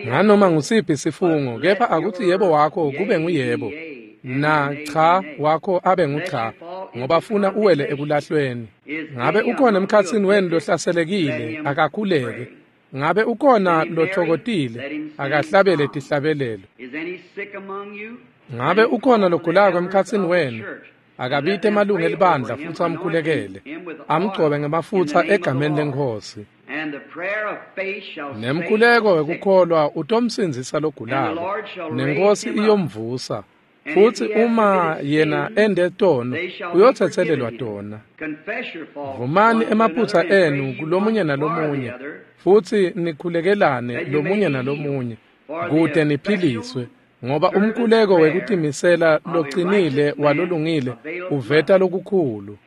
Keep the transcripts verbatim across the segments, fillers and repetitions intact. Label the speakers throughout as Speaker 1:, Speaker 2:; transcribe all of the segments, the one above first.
Speaker 1: Nganoma ngusiphi sifungo, kepha akuthi yebo wakho kube nguyebo, na cha wakho abe ngucha, ngoba funa uwele ekulahlweni. Ngabe ukhona emkhatsini wenu lohlaselekile, akakhuleke. Ngabe ukhona lothokotile, akahlabele tihlabelelo. Ngabe ukhona logulako emkhatsini wenu, akabite emalungu elibandla futsi amkhulekele, amgcobe ngemafutsa egameni leNkhosi. Nemkhuleko wekukholwa utomsindzisa logulako, neNkhosi iyomvusa. Futsi uma yena ende tono, uyotsetselelwa tona. Vumani emaphutsa enu kulomunye nalomunye, futsi nikhulekelane lomunye nalomunye, kute niphiliswe. Ngoba umkhuleko wekutimisela locinile walolungile uveta lokukhulu.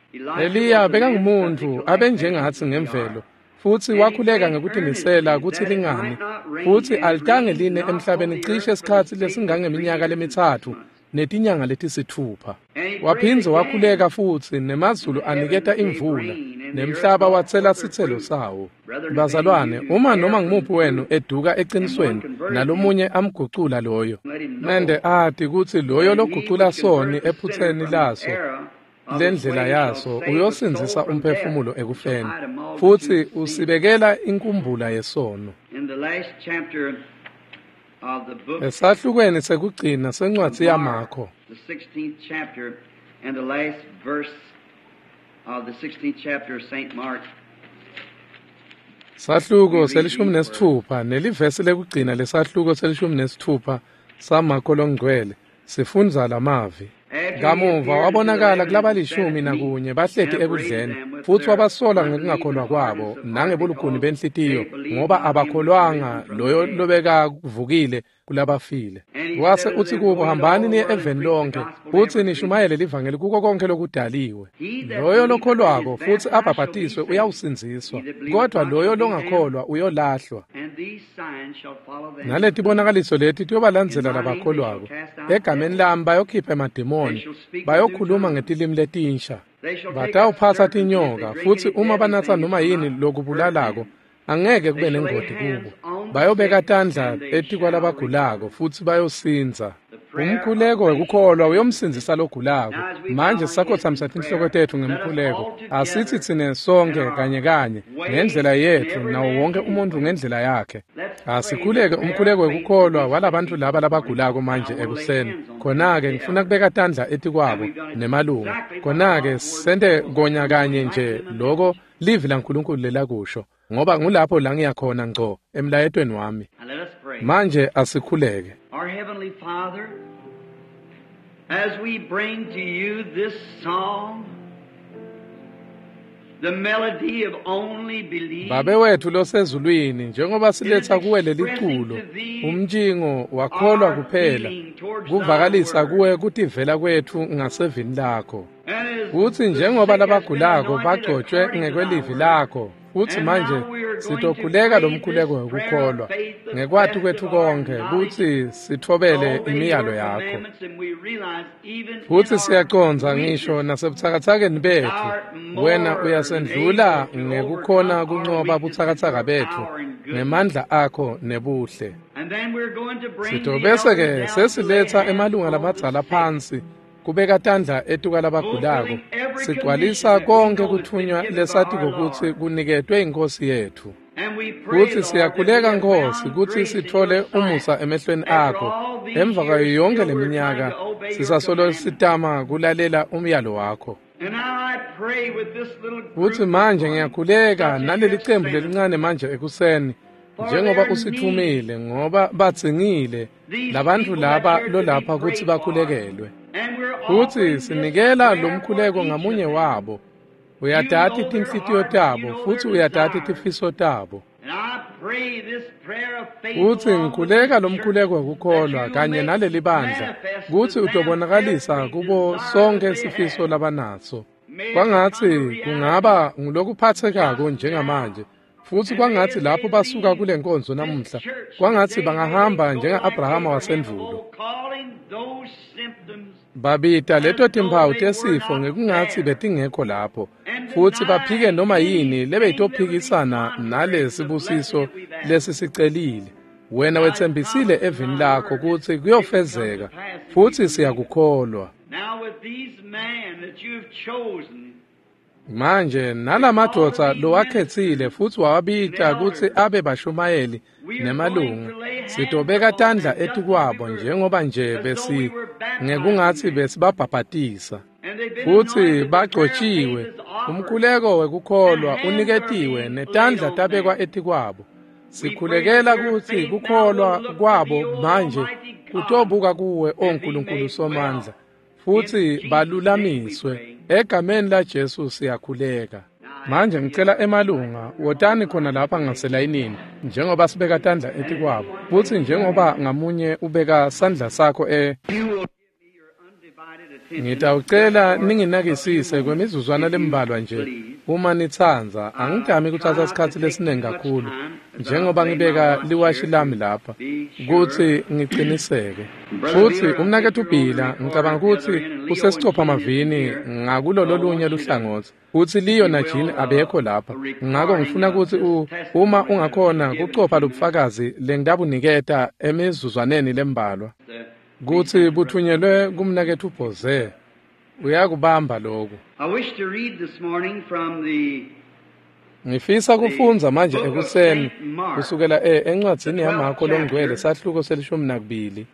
Speaker 1: Eliya bekangumuntu abenjengatsi ngemvelo, futsi wakhuleka ngekutimisela kutsi lingani, futsi alitange line emhlabeni cishe isikhatsi lesingangeminyaka lemitsatfu netinyanga letisitfupha. Waphindze wakhuleka futsi, nemazulu aniketa imvula, nemhlaba watsela sitselo sawo. Bazalwane, uma noma ngumuphi wenu eduka eqinisweni, nalomunye amgucula loyo, mende ati kutsi loyo logucula soni ephutseni laso lendlela yaso, uyosindzisa umphefumulo ekufeni, futsi usibekela inkumbula yesono. Esahlukweni sekugcina sencwadzi yaMakho, sahluko selishumi nesitfupha nelivesi lekugcina lesahluko selishumi nesitfupha saMakho longcwele, sifundza lamavi. Kamuva wabonakala kulabalishumi nakunye bahleti ekudleni, futsi wabasola ngekungakholwa kwabo nangebulukhuni benhlitiyo, ngoba abakholwanga loyo lobekavukile kulabafile. Wase utsi kubo, hambani niye eveni lonke, futsi nishumayele livangeli kuko konke lokudaliwe. Loyo lokholwako futsi abhabhatiswe uyawusindziswa, kodwa loyo longakholwa uyolahlwa. Naletibonakaliso leti tiyobalandzela labakholwako. Egameni lami bayokhipha emademoni, bayokhuluma ngetilimi letinsha, batawuphatsa tinyoka, futsi uma banatsa noma yini lokubulalako, angeke kube nengoti kubo. Bayobeka tandla etikwalabagulako futsi bayosindza. Umkhuleko wekukholwa uyomsindzisa logulako. Manje sisakhotsamisa tinhloko tetfu ngemkhuleko. Asithi tsine sonke kanye kanye ngendlela yetfu, nawo wonke umuntu ngendlela yakhe. Asikhuleke umkhuleko wekukholwa walabantu laba labagulako manje ekuseni. Khona-ke ngifuna kubeka tandla etikwabo nemalunga. Khona-ke sente konya kanye nje loko livi laNkulunkulu lelakusho, ngoba ngulapho la ngiyakhona ngco emlayetweni wami. Manje asikhuleke.
Speaker 2: Our Heavenly Father, as we bring to you this song, the melody of Only Believe,
Speaker 1: Babe wethu losezulwini, njengoba siletha kuwe leliculo, umntshingo wakholwa kuphela, kuvakalisa kuwe kutivela kwetfu ngasevini lakho. Kutsi njengoba labagulako bagcotshwe ngekwelivi lakho, futsi manje sitokhuleka lomkhuleko wekukholwa ngekwati kwetfu konke kutsi sitfobele imiyalo yakho. Futsi siyacondza ngisho nasebutsakatsakeni betfu, wena uyasendlula ngekukhona kuncoba butsakatsaka betfu ngemandla akho nebuhle. Sitobese-ke sesiletsa emalunga lamadzala phansi kubeka tandla etukwalabagulako, sigcwalisa konke kutfunywa lesatiko kutsi kuniketwe iNkhosi yetfu. Futsi siyakhuleka Nkhosi kutsi sitfole umusa emehlweni akho. Emva kwayo yonke leminyaka sisasolo sitama kulalela umyalo wakho. Futsi manje ngiyakhuleka naleli cembu lelincane manje ekuseni, njengoba usitfumile, ngoba badzingile labantu laba lolapha kutsi bakhulekelwe. Futsi sinikela lomkhuleko ngamunye wabo. Uyatati tinhlitiyo tabo, futsi uyatati tifiso tabo. Futsi ngikhuleka lomkhuleko wekukholwa kanye naleli bandla, kutsi utobonakalisa kubo sonke sifiso labanaso. Kwangatsi kungaba ngulokuphatsekako njengamanje, futsi kwangatsi lapho basuka kule nkonzo namuhla, kwangatsi bangahamba njenga-Abrahama wasendvulo. Babita leto timphawu tesifo ngekungatsi betingekho lapho, futsi baphike noma yini lebeyitophikisana nalesibusiso lesisicelile, Wena wetsembisile evini lakho kutsi kuyofezeka, futsi siyakukholwa. Manje nalamadvodza lowakhetsile futsi wawabita kutsi abe bashumayeli nemalunga, sitobeka tandla etikwabo njengoba nje besi ngekungatsi besibabhabhatisa. Futsi bagcotjiwe, umkhuleko wekukholwa uniketiwe netandla tabekwa etikwabo. Sikhulekela kutsi kukholwa kwabo manje kutobuka kuwe, o Nkulunkulu Somandla, futsi balulamiswe. Egameni laJesu siyakhuleka. Manje ngicela emalunga, wotani khona lapha ngaselayinini njengoba sibeka tandla etikwabo, futsi njengoba ngamunye ubeka sandla sakho e Ngitawucela ninginakisise kwemizuzwana lembalwa nje uma nitsandza. Angidami kutsatsa sikhatsi lesiningi kakhulu njengoba ngibeka liwashi lami lapha kutsi ngiciniseke. Futsi umnaketfu Bhila ngicabanga kutsi usesicopha mavini ngakulolo lunye luhlangotsi, futsi Leo na Jean abekho lapha. Ngako ngifuna kutsi uma ungakhona kucopha lobufakazi lengitabuniketa emizuzwaneni lembalwa kutsi buthunyelwe kumnaketfu Bhoze. Uyakubamba lokhu. Ngifisa kufundza manje ekuseni kusukela e encwadzini yaMarko longcwele sahluko selishumi nakubili.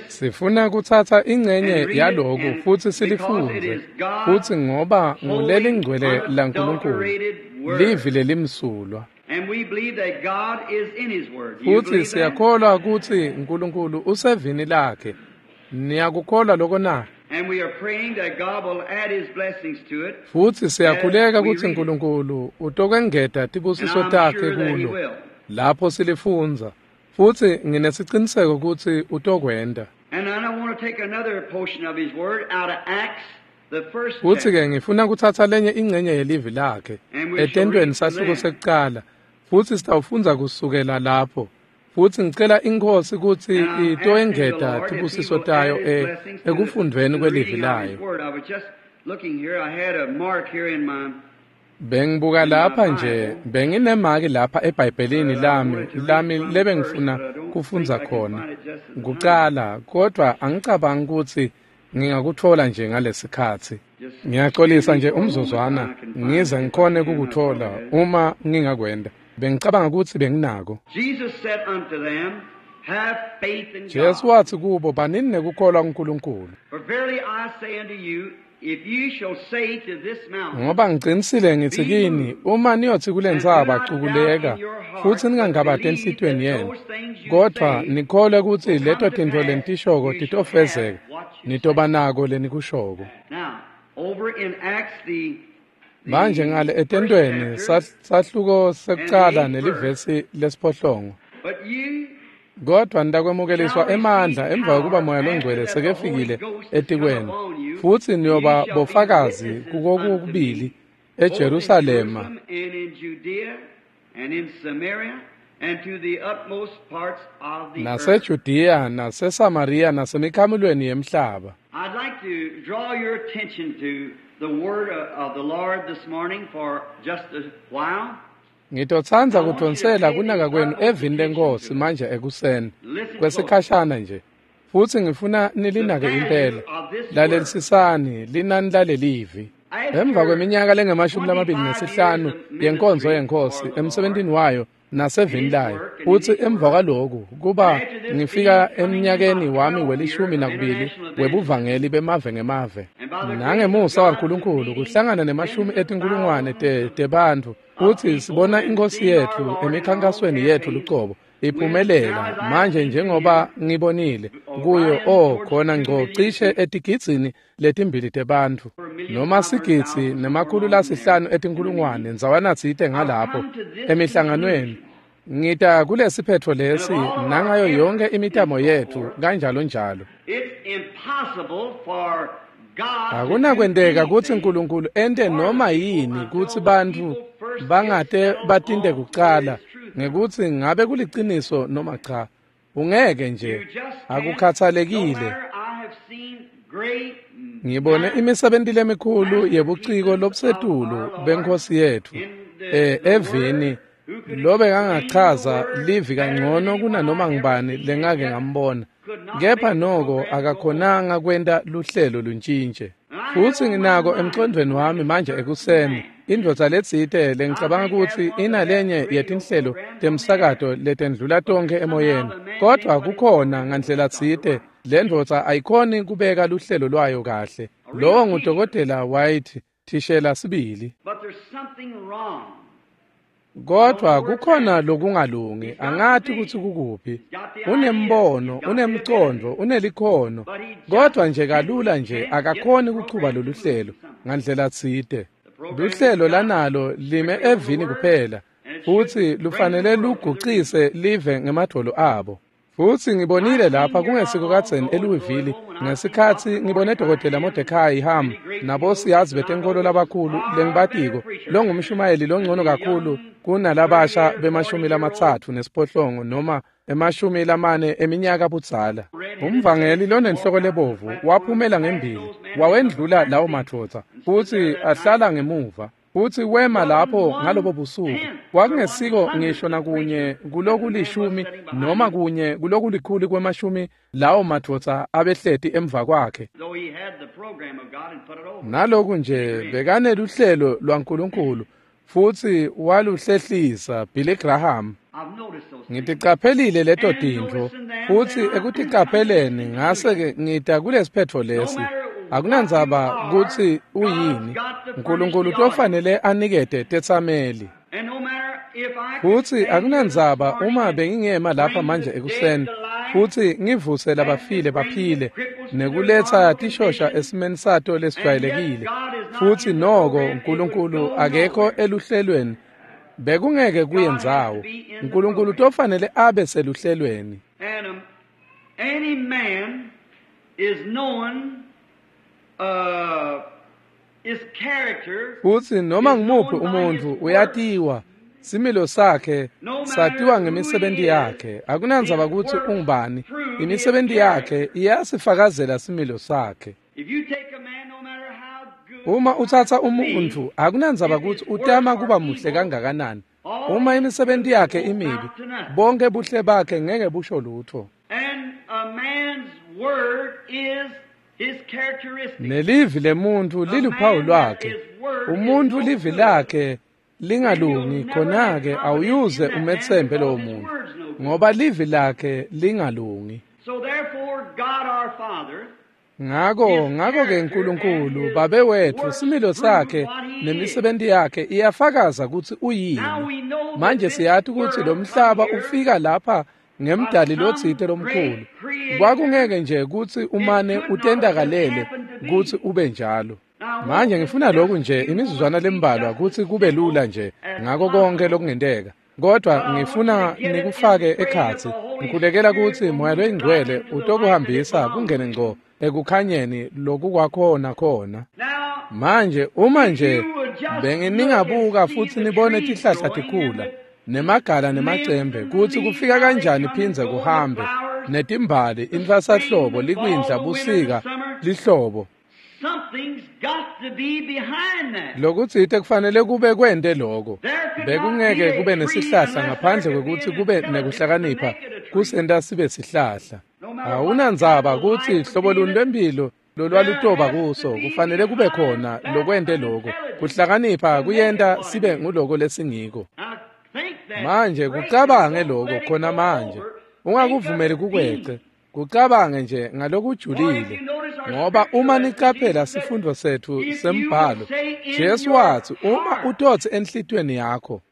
Speaker 1: Sifuna kutsatsa ingcenye yaloku futsi silifundze, futsi ngoba ngulelingcwele laNkulunkulu, livi lelimsulwa. Futsi siyakholwa kutsi Nkulunkulu usevini lakhe. Niyakukholwa lokho na? Futsi siyakhuleka kutsi Nkulunkulu utokwengeta tibusiso takhe kulo lapho silifundza, futsi nginesiciniseko kutsi utokwenta. Futsi-ke ngifuna kutsatsa lenye ingcenye yelivi lakhe etentweni sahluko sekucala, futsi sitawufundza kusukela lapho. Futsi ngicela iNkhosi kutsi itoengeta tibusiso tayo ekufundvweni kwelivi layo. Bengibuka lapha nje, benginemaki lapha eBhayibhelini lami lami lebengifuna kufundza khona kucala, kodvwa angicabangi kutsi ngingakutfola nje ngalesikhatsi. Ngiyaxolisa nje umzuzwana ngize ngikhone kukutfola uma ngingakwenda. Bengicabanga kutsi benginako. Jesu watsi kubo, banini nekukholwa kuNkulunkulu. Ngoba ngicinisile ngitsi kini, uma niyotsi kule ntsaba cukuleka, futsi ningangabati enhlitiyweni yenu, kodvwa nikholwe kutsi leto tintfo lenitishoko titofezeka, nitoba nako lenikushoko. Manje ngale etentweni sahluko sekucala nelivesi lesiphohlongo. Kodvwa nitakwemukeliswa emandla emva kokuba Moya Longcwele sekefikile etikwenu, futsi niyoba bofakazi kukokubili eJerusalema naseJudiya naseSamariya nasemikhamulweni yemhlaba.
Speaker 2: I'd like to draw your attention to the word of the Lord this morning for just a while.
Speaker 1: Ngitotsandza kudvonsela kunaka kwenu evini leNkhosi manje ekuseni kwesikhashana nje, futsi ngifuna nilinake impela. Lalelisisani linani lalelivi. Emva kweminyaka lengemashumi lamabili nesihlanu yenkonzo yeNkhosi emsebentini wayo nasevini layo, futsi emva kwaloku kuba ngifika eminyakeni wami welishumi nakubili webuvangeli bemave ngemave, nangemusa waNkulunkulu kuhlangana nemashumi etinkulungwane tebantfu, futsi sibona iNkhosi yetfu emikhankasweni yetfu lucobo iphumelela manje njengoba ngibonile kuyo o khona ngco cishe etigidzini letimbili tebantfu noma sigidzi nemakhulu lasihlanu etinkulungwane ndzawana tsite ngalapho emihlanganweni. Ngita kulesiphetfo lesi nangayo yonke imitamo yetfu kanjalo njalo. Akunakwenteka kutsi Nkulunkulu ente noma yini kutsi bantfu bangate batinte kucala ngekutsi ngabe kuliciniso noma cha. Ungeke nje, akukhathalekile. Ngibone imisebenti lemikhulu yebuciko lobusetulu beNkhosi yetfu eh evini lobekangachaza livi kangcono kunanoma ngubani lengake ngambona, kepha noko akakhonanga kwenta luhlelo luntshintshe. Futsi nginako emcondvweni wami manje ekuseni, indvodza letsite lengicabanga kutsi inalenye yetinhlelo temsakato letendlula tonkhe emoyeni, kodvwa kukhona ngandlela tsite lendvodza ayikhoni kubeka luhlelo lwayo kahle. Lowo ngudokotela White, thishela sibili. Kodvwa kukhona lokungalungi, angati kutsi kukuphi. Unembono, unemcondvo, unelikhono, kodvwa nje kalula nje akakhoni kuchuba lolu hlelo ngandlela tsite. Luhlelo lanalo lime evini kuphela, futsi lufanele lugucise live ngemadvolo abo. Futsi ngibonile lapha kungesiko kadzeni eLouisville ngesikhatsi ngibone Dokotela Mordecai Ham nabosiyazi betenkolo labakhulu lengibatiko, longumshumayeli longcono kakhulu kunalabasha bemashumi lamatsatfu nesiphohlongo noma emashumi lamane eminyaka budzala. Umvangeli lonenhloko lebovu waphumela ngembili, wawendlula lawo madvodza, futsi ahlala ngemuva. Futsi wema lapho ngalobo busuku. Kwakungesiko ngisho nakunye kulokulishumi noma kunye kulokulikhulu kwemashumi lawo madvodza abehleti emva kwakhe. Naloku nje bekaneluhlelo lwaNkulunkulu futsi waluhlehlisa Billy Graham. Ngiticaphelile leto tintfo, futsi ekuticapheleni ngase-ke ngita kulesiphetfo lesi. Akunandzaba kutsi uyini, Nkulunkulu utofanele anikete tetsameli. Futsi akunandzaba uma bengingema lapha manje ekuseni futsi ngivuse labafile baphile nekuletsa tishosha esimeni sato lesijwayelekile, futsi noko Nkulunkulu akekho eluhlelweni, bekungeke kuye ndzawo. Nkulunkulu utofanele abe seluhlelweni.
Speaker 2: Any man is known Uh, his character
Speaker 1: futsi noma ngumuphi umuntfu uyatiwa, similo sakhe satiwa ngemisebenti yakhe. Akunandzaba kutsi ungubani, imisebenti yakhe iyasifakazela similo sakhe. Uma utsatsa umuntfu, akunandzaba kutsi utama kuba muhle kangakanani, uma imisebenti yakhe imibi, bonke buhle bakhe ngeke busho lutho.
Speaker 2: And a man's word is
Speaker 1: Nelivi lemuntfu liluphawu lwakhe. Umuntfu livi lakhe lingalungi, khona-ke awuyuze umetsembe lowo muntfu, ngoba livi lakhe lingalungi. Ngako ngako-ke Nkulunkulu Babe wetfu, similo sakhe nemisebenti yakhe iyafakaza kutsi uyini. Manje siyati kutsi lo mhlaba ufika lapha ngemdali lotsite lomkhulu. Kwakungeke nje kutsi umane utendakalele kutsi ube njalo. Manje ngifuna lokhu nje imizuzwana lembalwa kutsi kube lula nje ngako konke lokungenteka, kodvwa ngifuna nikufake ekhatsi. Ngikhulekela kutsi Moya Loyingcwele utokuhambisa kungene ngco ekukhanyeni lokukwakhona khona. Manje uma nje benginingabuka futsi nibone tihlahla tikhula nemagala nemacembe, kutsi kufika kanjani phindze kuhambe, netimbali intfwasahlobo, likwindla, busika, lihlobo, lokutsite kufanele kube kwente loko. Bekungeke kube nesihlahla ngaphandle kwekutsi kube nekuhlakanipha kusenta sibe sihlahla. Awunandzaba kutsi hlobo luni lwemphilo lolwalutoba kuso, kufanele kube khona lokwente loko. Kuhlakanipha kuyenta sibe nguloko lesingiko. Manje kucabange loko khona manje, ungakuvumeli kukwece, kucabange nje ngalokujulile, ngoba uma nicaphela sifundo setfu sembhalo, Jesu watsi uma utotsi enhlitiyweni yakho,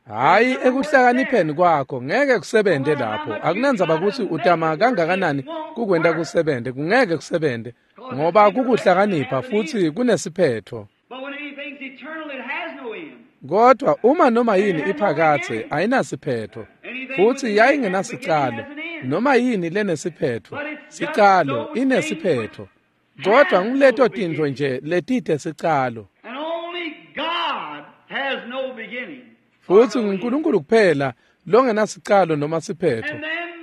Speaker 1: hhayi ekuhlakanipheni kwakho, ngeke kusebente lapho. Akunandzaba kutsi utama kangakanani kukwenta kusebente, kungeke kusebente, ngoba kukuhlakanipha futsi kunesiphetfo. Kodwa uma noma yini iphakathe ayinasiphetfo, futsi yayingenasicalo. Noma yini lenesiphetfo, sicalo inesiphetfo. Kodwa nguleto tintfo nje letite sicalo. Futsi nguNkulunkulu kuphela longenasicalo noma siphetfo.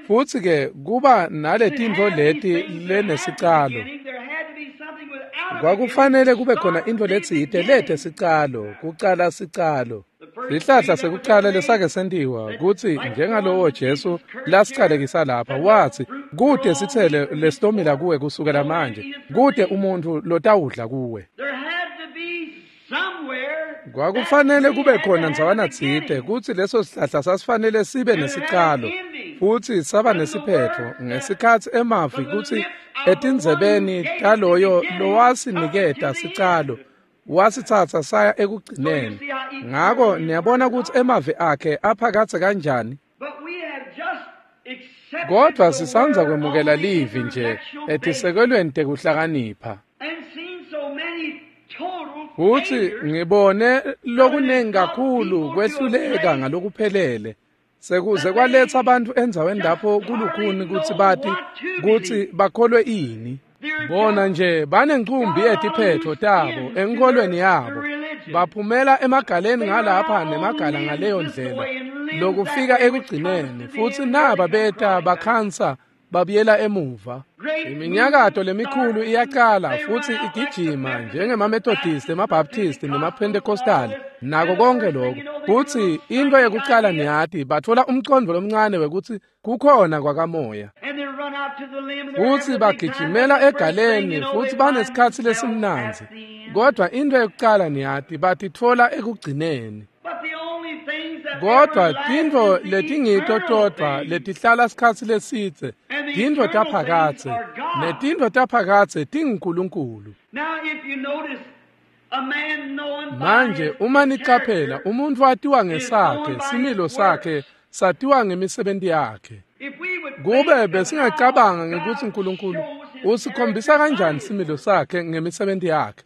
Speaker 1: Futsi ke kuba naletintfo leti lenesicalo. Kwakufanele kube khona intfo letsite lete sicalo, kucala sicalo. Sihlahla sekucala lesake sentiwa kutsi njengalowo Jesu lasicalekisa lapha watsi kute sitsele lesitomila kuwe kusukela manje kute umuntfu lotawudla kuwe. Kwakufanele kube khona ndzawana tsite kutsi leso sihlahla sasifanele sibe nesicalo futsi saba nesiphetfo ngesikhatsi emavi kutsi etindzebeni taloyo lowasiniketa sicalo wasitsatsa saya ekugcineni. Ngako niyabona kutsi emavi akhe aphakatse kanjani. Kodvwa sisandza kwemukela livi nje etisekelweni tekuhlakanipha. Futsi ngibone lokunengi kakhulu kwehluleka ngalokuphelele sekuze kwaletsa abantu endzaweni lapho kulukhuni kutsi bati kutsi bakholwe ini. Bona nje banencumbi yetiphetho tabo enkolweni yabo, baphumela emagaleni ngalapha nemagala ngaleyo ndlela lokufika ekugcineni, futsi naba beta bakhansa babuyela emuva. Iminyakato lemikhulu iyaqala futsi igijima njengemaMethodist, emaBaptist nemaPentecostal nako konke lokho. Futsi into yekucala niyati batfola umcondvo lomncane wekutsi kukhona kwakamoya. Futsi bagijimela egaleni futsi banesikhatsi lesimnandzi. Kodwa into yekucala niyati batitfola ekugcineni. Kodwa tintfo letingito todvwa letihlala sikhatsi lesidze tintfo taphakadze, netintfo taphakadze tinguNkulunkulu. Manje uma nicaphela umuntfu atiwa ngesakhe, similo sakhe satiwa ngemisebenti yakhe. Kube besingacabanga ngekutsi uNkulunkulu usikhombisa kanjani similo sakhe ngemisebenti yakhe.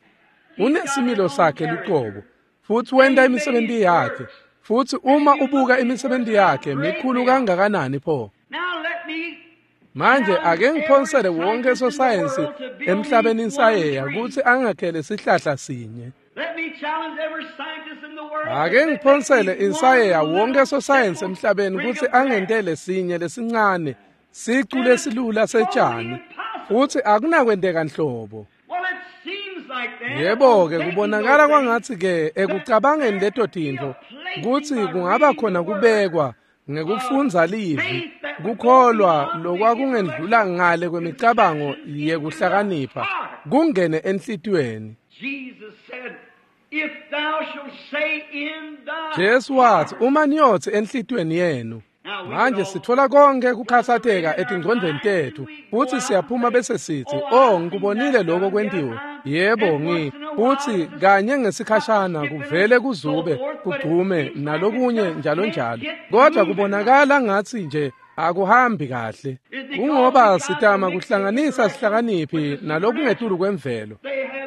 Speaker 1: Unesimilo sakhe luqobo futsi wenta imisebenti yakhe. Futsi uma ubuka imisebenti yakhe mikhulu kangakanani pho. Manje ake ngiphonsele wonke sosayensi emhlabeni insayeya kutsi angakhele sihlahla sinye. Ake ngiphonsele insayeya wonke sosayensi emhlabeni kutsi angentele sinye lesincane sicu lesilula setjani, futsi akunakwenteka nhlobo. Yebo-ke kubonakala kwangatsi-ke ekucabangeni leto tintfo kutsi kungaba khona kubekwa ngekufundza livi kukholwa lokwakungendlula ngale kwemicabango yekuhlakanipha kungene enhlitiyweni. Jesu watsi uma niyotsi enhlitiyweni yenu. Manje sitfola konke kukhatsateka etingcondvweni tetfu futsi siyaphuma bese sithi oh ngikubonile lokho kwentiwe, yebo ngi futsi kanye ngesikhashana kuvele kuzube kugcume nalokunye njalo njalo, kodwa kubonakala ngathi nje akuhambi kahle. Kungoba sitama kuhlanganisa sihlakaniphi nalokungetulu kwemvelo.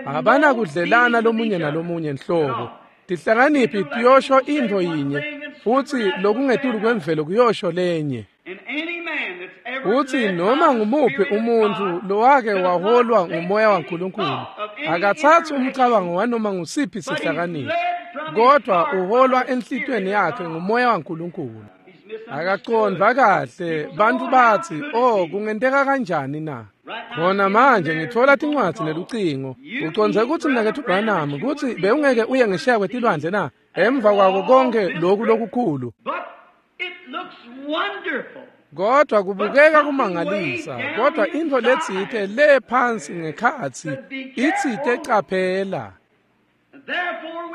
Speaker 1: Abanakudlelana lomunye nalomunye nhlobo. Tihlakaniphi tiyosho intfo yinye futsi lokungetulu kwemvelo kuyosho lenye. Futsi noma ngumuphi umuntfu lowake waholwa ngumoya waNkulunkulu akatsatsi umcabango wanoma ngusiphi sihlakaniphi, kodwa uholwa enhlitiyweni yakhe ngumoya waNkulunkulu. Akacondvwa kahle. Bantfu batsi oh kungenteka kanjani na? Khona manje ngitfola tincwadzi nelucingo. Ucondze kutsi mnaketfu Branham kutsi bewungeke uye ngesheya kwetilwandle na? Emva kwako konke loku lokukhulu. Kodwa kubukeka kumangalisa, kodwa intfo letsite le phansi ngekhatsi itsite caphela.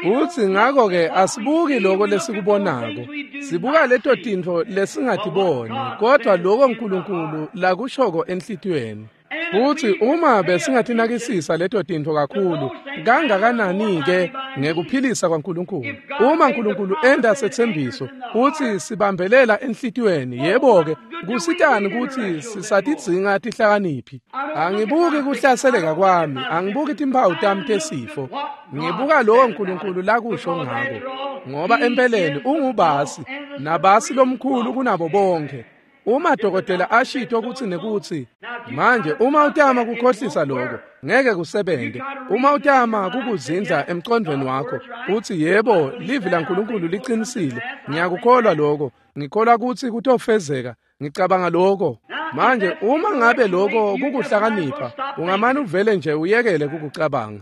Speaker 1: Futsi ngako-ke asibuki loko lesikubonako, sibuka leto tintfo lesingatiboni, kodwa loko uNkulunkulu lakushoko enhlitiyweni. Futsi uma besingatinakisisa leto tintfo kakhulu kangakanani-ke ngekuphilisa kwaNkulunkulu. Uma uNkulunkulu enta setsembiso futsi sibambelela enhlitiyweni, yebo-ke kusitani kutsi sisatidzinga tihlakaniphi? Angibuki kuhlaseleka kwami, angibuki timphawu tami tesifo, ngibuka lowo uNkulunkulu lakusho ngako, ngoba empeleni ungubasi nabasi lomkhulu kunabo bonke. Uma dokotela ashito kutsi nekutsi, manje uma utama kukhohlisa lokho, ngeke kusebente. Uma utama kukuzindla emqondweni wakho, uthi yebo, livi laNkulunkulu liqinisile. Ngiyakukholwa lokho. Ngikholwa kutsi kutofezeka. Ngicabanga lokho. Manje uma ngabe lokho kukuhlakanipha, ungamane uvele nje uyekele kukucabanga.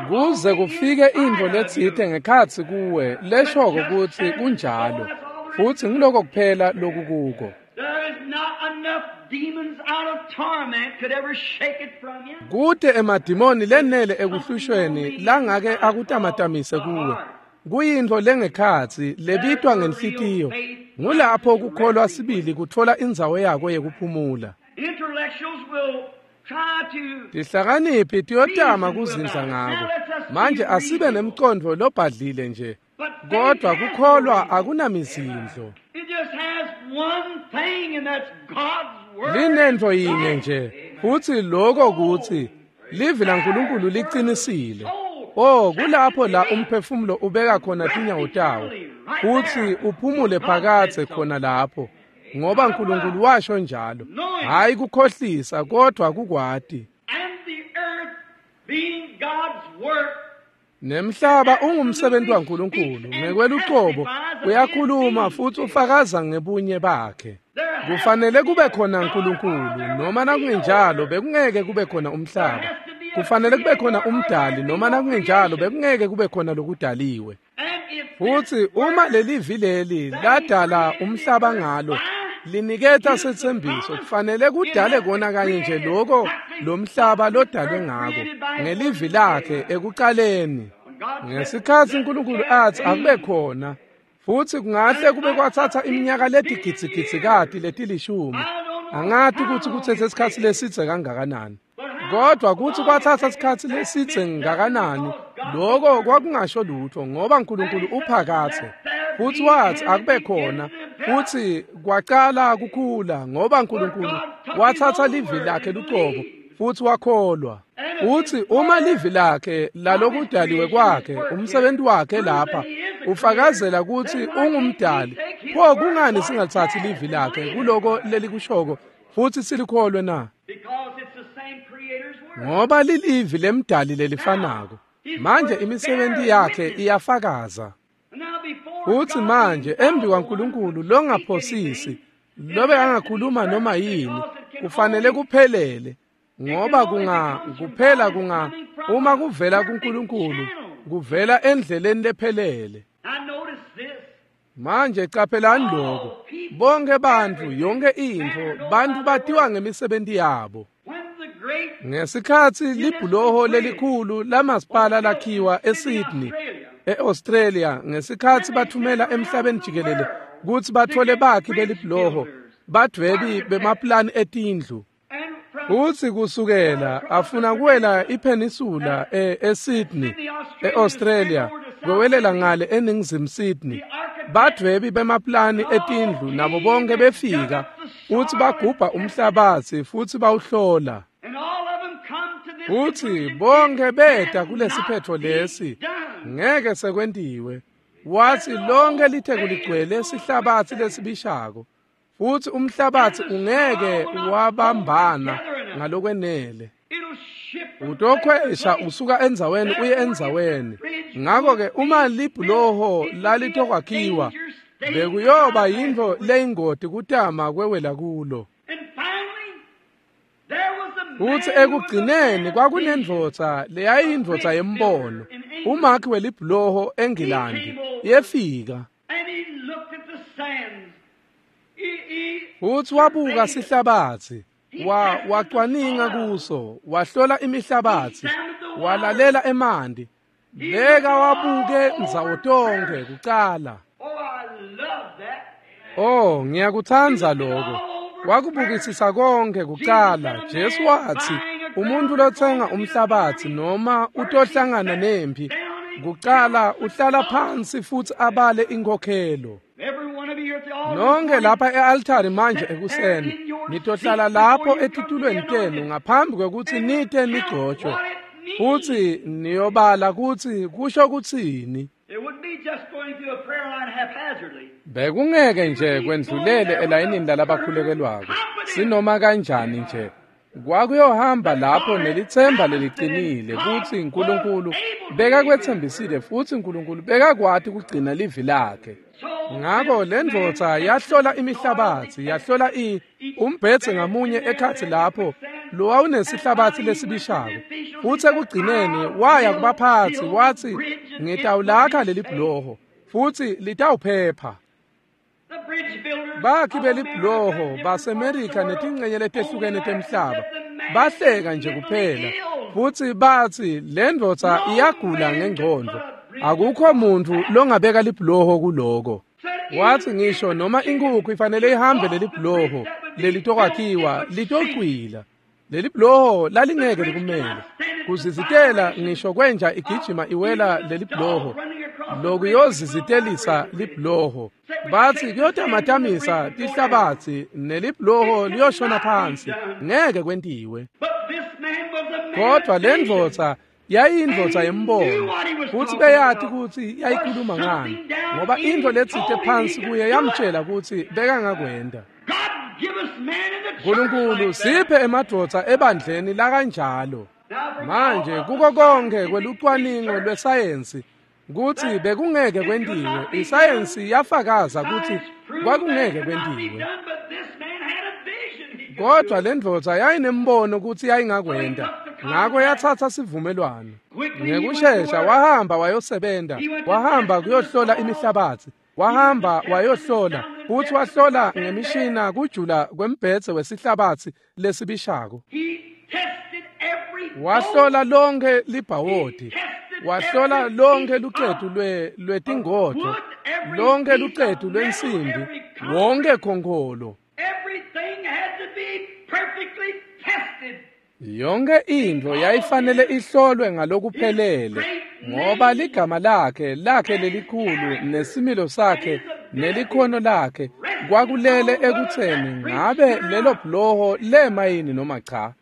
Speaker 1: Kuze kufike intfo letsite ngekhatsi kuwe leshoko kutsi kunjalo. Futsi ngiloko kuphela lokukuko. Kute emadimoni lenele ekuhlushweni langake akutamatamise kuwe. Kuyintfo lengekhatsi lebitwa ngenhlitiyo. Ngulapho kukholwa sibili kutfola indzawo yako yekuphumula. Tihlakaniphi tiyotama kuzindla ngako. Manje asibe nemcondvo lobhadlile nje. Kodwa kukholwa akunamizindlo. Linentfo yinye nje, futsi lokho kutsi livi laNkulunkulu liqinisile. Oh, kulapho la umphefumulo ubeka khona tinyawo tawo, futsi uphumule phakadze khona lapho, ngoba uNkulunkulu washo njalo. Hayi kukhohlisa, kodwa kukwati. Nemhlaba ungumsebenzi waNkulunkulu ngekwelucobo uyakhuluma futhi ufakaza ngebunye bakhe. Kufanele kube khona uNkulunkulu, noma nakungenjalo bekungeke kube khona umhlaba. Kufanele kube khona umdali, noma nakungenjalo bekungeke kube khona lokudaliwe. Futhi uma lelivi leli ladala umhlaba ngalo liniketa setsembiso, kufanele kudale kona kanye nje lokho lomhlaba lodalwe ngako ngelivi lakhe ekuqaleni. Ngesikhatsi uNkulunkulu athi akube khona, futsi kungahle kube kwathatha iminyaka letigidzigidzi letilishumi. Angati kutsi kuthethe isikhatsi lesidze kangakanani, kodwa kutsi kwathatha isikhatsi lesidze ngakanani, lokho kwakungasho lutho, ngoba uNkulunkulu uphakathe. Futsi wathi akube khona, futsi kwaqala kukhula, ngoba uNkulunkulu wathatha livi lakhe lucobo futsi wakholwa. Futsi uma livi lakhe lalokudaliwe kwakhe, umsebenzi wakhe lapha ufakazela kutsi ungumdali, pho kungani singathathi livi lakhe kuloko lelikushoko futsi silikholwe na? Ngoba lilivi lemdali lelifanako. Manje imisebenzi yakhe iyafakaza. Futsi manje embi kwaNkulunkulu longaphosisi, lobe angakhuluma noma yini, kufanele kuphelele, ngoba kunga kuphela kunga uma kuvela kuNkulunkulu, kuvela endleleni lephelele. Manje caphelani lokho, bonke bantfu, yonke intfo, bantfu batiwa ngemisebenzi yabo. Ngesikhatsi libhuloho lelikhulu lamasipala lakhiwa eSydney, eAustralia, ngesikhatsi bathumela emhlabeni jikelele kutsi bathole bakhi belibhuloho, badwebi bemaplani etindlu. Futsi kusukela afuna kuwela ipeninsula eSydney, eAustralia, kwewelela ngale eNingizimu Sydney, badwebi bemaplani etindlu nabo bonke befika futsi bagubha umhlabatsi futsi bawuhlola. Futsi bonke beta kulesiphetho lesi, ngeke sekwentiwe. Wathi lonke litheku ligcwele sihlabatsi lesibishako, futsi umhlabatsi ungeke wabambana ngalokwenele. Utokhwesha usuka endzaweni uye endzaweni. Ngakho-ke uma libhuloho lalitokwakhiwa, bekuyoba yintfo leyingoti kutama kwewela kulo. Futsi ekugcineni kwakunendvodza leyayindvodza yembono, umakhi welibhuloho eNgilandi, yefika. Futsi wabuka sihlabatsi, wa wacwaninga kuso, wahlola imihlabatsi, walalela emanti, beka wabuke ndzawo tonkhe kucala. Oh, ngiyakutsandza lokho. Wakubukisisa konke kucala. Jesu wathi umuntu lotsenga umhlabatsi noma utohlangana nempi, kucala uhlala phansi futhi abale inkhokhelo. Nonke lapha e-altari manje ekuseni, nitohlala lapho etitulweni tenu ngaphambi kwekutsi nite nigcotshwe, futsi niyobala kutsi kusho kutsini. Bekungeke nje kwendlulele elayinini lalabakhulekelwako sinoma kanjani nje. Kwakuyohamba lapho nelitsemba leliqinile kutsi uNkulunkulu bekakwetsembisile futsi uNkulunkulu bekakwati kugcina livi lakhe. Ngako lendvodza yahlola imihlabatsi, yahlola i umbhedze ngamunye ekhatsi lapho lowawunesihlabatsi lesibishako. Futsi ekugcineni waya kubaphatsi watsi, "Ngitawulakha leli bhuloho futsi litawuphepha." Bakhi belibhuloho baseMerika netingcenye letehlukene temhlaba bahleka nje kuphela futsi batsi lendvodza iyagula ngengcondvo, akukho muntfu longabeka libhuloho kuloko. Watsi ngisho noma inkukhu ifanele ihambe lelibhuloho lelitokwakhiwa litocwila. Lelibhuloho lalingeke likumele kuzizitela ngisho kwenja igijima iwela lelibhuloho lokuyozizitelisa libhuloho. Batsi kuyotamatamisa tihlabatsi nelibhuloho liyoshona phansi, ngeke kwentiwe. Kodwa lendvodza yayindvodza yembono futsi beyati kutsi yayikhuluma ngani, ngoba intfo letsite phansi kuye yamtjela kutsi bekangakwenta. Nkulunkulu siphe emadvodza ebandleni lakanjalo. Manje kuko konke kwelucwaningo lwesayensi kutsi bekungeke kwentiwe, isayensi yafakaza kutsi kwakungeke kwentiwe. Kodwa lendvodza yayinembono kutsi yayingakwenta, ngako yatsatsa sivumelwano. Ngekushesha wahamba wayosebenta, wahamba kuyohlola imihlabatsi, wahamba wayohlola futsi wahlola ngemishina kujula kwembhedze wesihlabatsi lesibishako. Wahlola lonke libhawodi, wahlola lonke lucetu lwe lwetingodvo, lonke lucetu lwensimbi, wonke khonkholo. Yonke intfo yayifanele ihlolwe ngalokuphelele, ngoba ligama lakhe lakhe lelikhulu nesimilo sakhe nelikhono lakhe kwakulele ekutseni ngabe lelo bhuloho lema yini noma cha.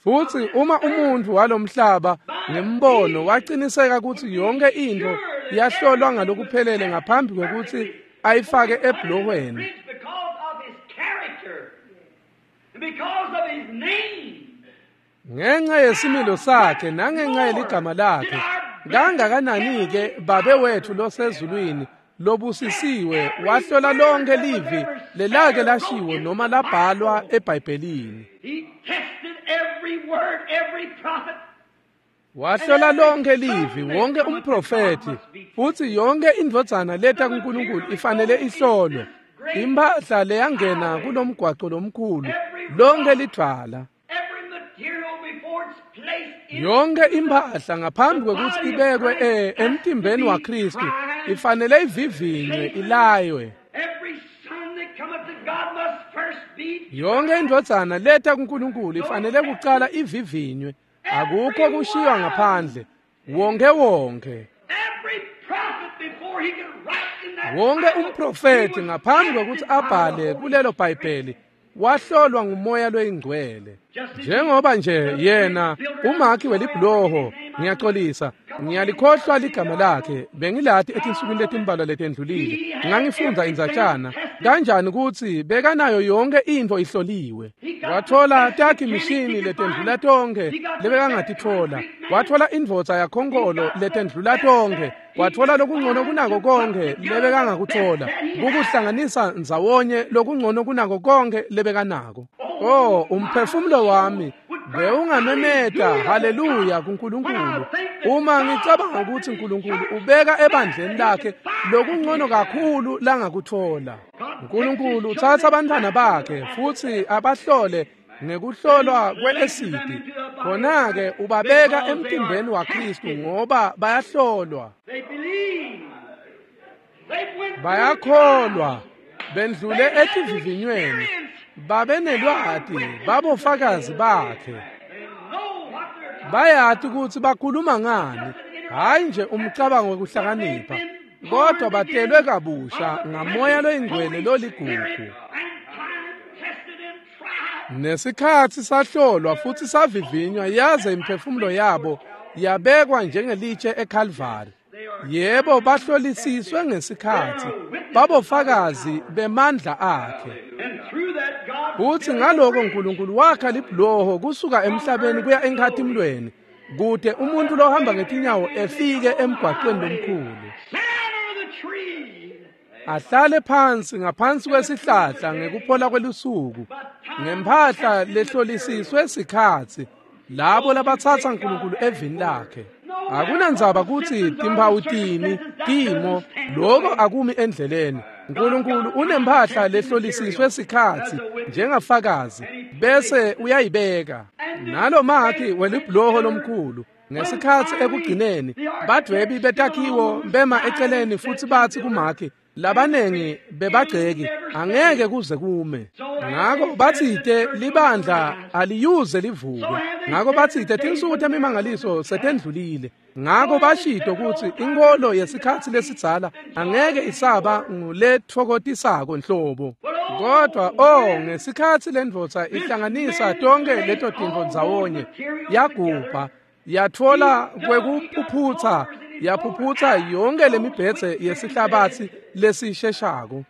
Speaker 1: Futsi uma umuntfu walomhlaba ngembono waciniseka kutsi yonke intfo yahlolwa ngalokuphelele ngaphambi kwekutsi ayifake ebhulohweni, ngenxa yesimilo sakhe nangenxa yeligama lakhe, kangakanani-ke Babe wetfu losezulwini lobusisiwe wahlola lonke livi lelake lashiwo noma labhalwa eBhayibhelini. Wahlola lonke livi, wonke umprofethi, futsi yonke indvodzana leta kuNkulunkulu ifanele ihlolwe. Impahla leyangena kulomgwaco lomkhulu, lonke lidvwala, yonke impahla ngaphambi kwekutsi ibekwe e emtimbeni waKhristu ifanele ivivinywe, ilaywe. Yonke indvodzana leta kuNkulunkulu ifanele kucala ivivinywe, akukho kushiywa ngaphandle, wonke wonke. Wonke umprofethi ngaphambi kwekutsi abhale kulelo Bhayibheli wahlolwa ngumoya loyingcwele. Njengoba nje yena umakhi welibhuloho, ngiyaxolisa, ngiyalikhohlwa ligama lakhe, bengilati etinsukwini letimbalwa letendlulile, ngangifundza indzatshana kanjani kutsi bekanayo yonke intfo ihloliwe. Wathola takhi mishini letendlula tonkhe lebekangatitfola, wathola indvodza yakhonkolo letendlula tonkhe, wathola lokungcono kunako konke lebekangakuthola, kukuhlanganisa ndzawonye lokungcono kunako konke lebekanako. Oh, umphefumulo wami bewungamemeta haleluya kuNkulunkulu uma ngicabanga ukuthi uNkulunkulu ubeka ebandleni lakhe lokungcono kakhulu langakuthola. uNkulunkulu uthatha abantwana bakhe futsi abahlole ngekuhlolwa kwe-esidi, khona-ke ubabeka emtimbeni waKhristu ngoba bayahlolwa, bayakholwa, bendlule etivivinyweni, babenelwati, babofakazi bakhe, bayati kutsi bakhuluma ngani, hhayi nje umcabango wekuhlakanipha, kodwa batelwe kabusha ngamoya loyingcwele loligugu. Nesikhatsi sahlolwa futsi savivinywa yaze imiphefumulo yabo yabekwa njengelitshe eKalvari. Yebo, bahlolisiswe ngesikhatsi, babofakazi bemandla akhe. Futsi ngaloko Nkulunkulu wakha libhuloho kusuka emhlabeni kuya enkhatimlweni, kute umuntu lohamba ngetinyawo efike emgwaqweni lomkhulu. Ahlale phansi ngaphansi kwesihlahla ngekuphola kwelusuku, ngemphahla lehlolisiswe sikhatsi, labo labatsatsa Nkulunkulu evini lakhe. Akunandzaba kutsi timphawu tini, timo, loko akumi endleleni. Nkulunkulu unemphahla lehlolisiswe sikhatsi njengafakazi, bese uyayibeka. Nalomakhi welibhuloho lomkhulu ngesikhatsi ekugcineni, badwebi betakhiwo bema eceleni futsi batsi kumakhi, labanengi bebagceki, angeke kuze kume. Ngako batsite libandla aliyuze livuke. Ngako batsite tinsuku temimangaliso setendlulile. Ngako bashito kutsi inkolo yesikhatsi lesidzala angeke isaba nguletfokotisako nhlobo. Kodwa oh, ngesikhatsi lendvodza ihlanganisa tonke leto tintfo ndzawonye, yagubha, yatfola kwekuphuphutsa, yaphuphutsa yonke lemibhedze yesihlabatsi lesisheshako.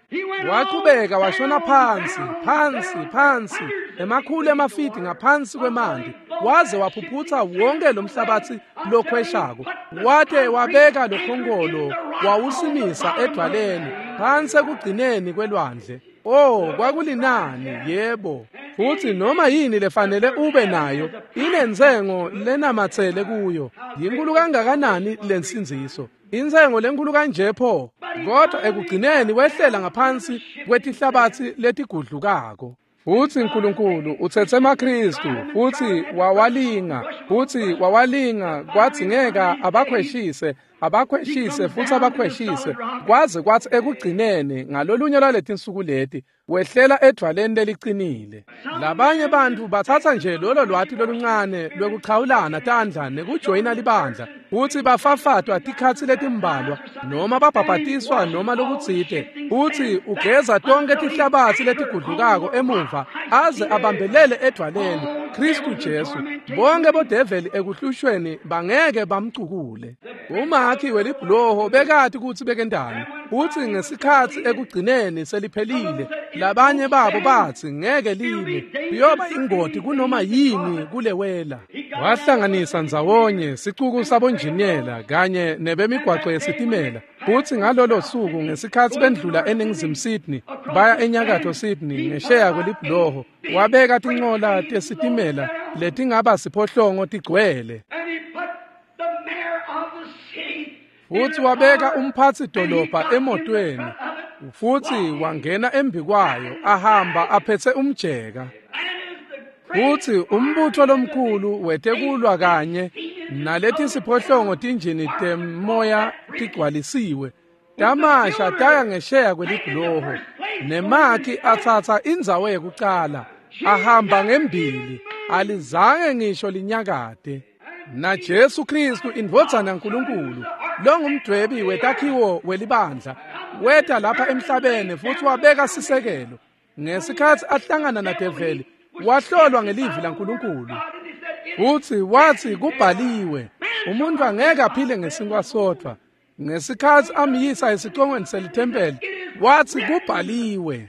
Speaker 1: Wachubeka washona phansi, phansi, phansi, emakhulu emafidi ngaphansi kwemanti, waze waphuphutsa wonke lomhlabatsi lokhweshako. Wate wabeka lokhonkolo wawusimisa edwaleni phansi ekugcineni kwelwandle. Oh, kwakulinani, yebo. Futsi noma yini lefanele ube nayo inentsengo lenamatsele kuyo. Yinkulu kangakanani lensindziso? Intsengo lenkulu kanje pho. Kodwa ekugcineni wehlela ngaphansi kwetihlabatsi letigudlukako. Futsi Nkulunkulu utsetse emaKhristu futsi wawalinga, futsi wawalinga kwadzingeka abakhweshise, abakhweshise futsi abakhweshise, kwaze kwatsi ekugcineni ngalolunye lwaletinsuku leti wehlela edvwaleni lelicinile. Labanye bantfu batsatsa nje lolo lwati loluncane lwekuchawulana tandla nekujoyina libandla, futsi bafafatwa tikhatsi letimbalwa noma babhabhatiswa noma lokutsite, futsi ugeza tonke tihlabatsi letigudlukako emuva aze abambelele edvwaleni Khristu Jesu. Bonke bodeveli ekuhlushweni bangeke bamcukule. Umakhi welibhuloho bekati kutsi bekendani, futsi ngesikhatsi ekugcineni seliphelile, labanye babo batsi ngeke lime, kuyoba ingoti kunoma yini kulewela. Wahlanganisa ndzawonye sicuku sabonjiniyela kanye nebemigwaco yesitimela, futsi ngalolo suku ngesikhatsi bendlula eNingizimu Sydney baya eNyakatfo Sydney ngesheya kwelibhuloho, wabeka tincola tesitimela letingaba siphohlongo tigcwele. Futsi wabeka umphatsi dolobha emotweni, futsi wangena embikwayo ahamba aphetse umjeka. Futsi umbutho lomkhulu wetekulwa kanye naleti siphohlongo tinjini temoya tigcwalisiwe tamasha taya ngesheya kwelibhuloho, nemakhi atsatsa indzawo yekucala ahamba ngembili, alizange ngisho linyakate. Na Jesu Khristu indvodzana yaNkulunkulu longumdwebi wetakhiwo welibandla weta lapha emhlabeni futsi wabeka sisekelo. Ngesikhatsi ahlangana nadeveli wahlolwa ngelivi laNkulunkulu, futsi watsi kubhaliwe, umuntu angeke aphile ngesinkwa sodvwa. Ngesikhatsi amyisa esicongweni selithempeli watsi kubhaliwe.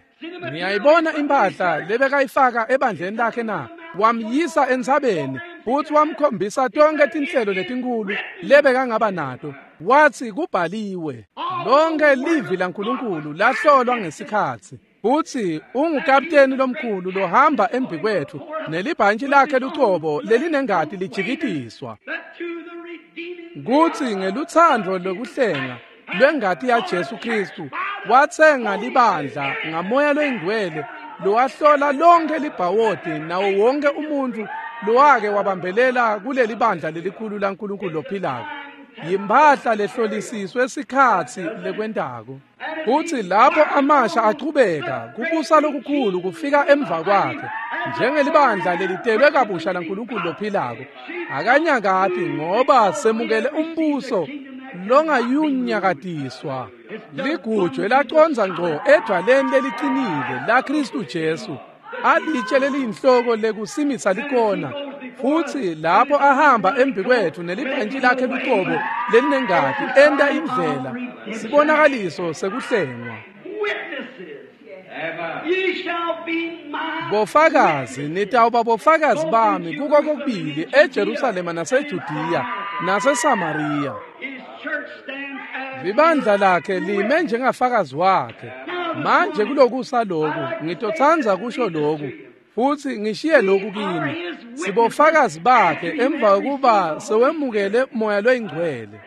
Speaker 1: Niyayibona impahla lebekayifaka ebandleni lakhe na? Wamyisa entsabeni futsi wamkhombisa tonke tinhlelo letinkulu lebekangaba nato. Watsi kubhaliwe. Lonke livi laNkulunkulu lahlolwa ngesikhatsi. Futsi ungukapteni lomkhulu lohamba embikwetfu nelibhantshi lakhe lucobo lelinengati lijikitiswa. Kutsi ngelutsandvo lokuhlenga lwengati yaJesu Khristu watsenga libandla ngamoya loyingcwele lowahlola lonke libhawodi nawo wonke umuntfu lowake wabambelela kuleli bandla lelikhulu laNkulunkulu lophilako. Yimphahla lehlolisiswe sikhatsi lekwentako. Futsi lapho amasha achubeka kubusa lokukhulu kufika emva kwakhe njengelibandla lelitelwe kabusha laNkulunkulu lophilako. Akanyakati ngoba semukele umbuso longayunyakatiswa. Ligujwe lacondza ngco edvwaleni lelicinile la Khristu Jesu, alitshe leliyinhloko lekusimisa likona. Futsi lapho ahamba embikwetfu nelibhantji lakhe lucobo lelinengati enta indlela sibonakaliso sekuhlengwa. Bofakazi nitawuba bofakazi bami kuko kokubili eJerusalema naseJudiya naseSamariya. Libandla lakhe lime njengafakazi wakhe. Manje kulokusa loku ngitotsandza kusho loku futsi ngishiye loku kini. Sibofakazi bakhe emva kokuba sewemukele moya loyingcwele.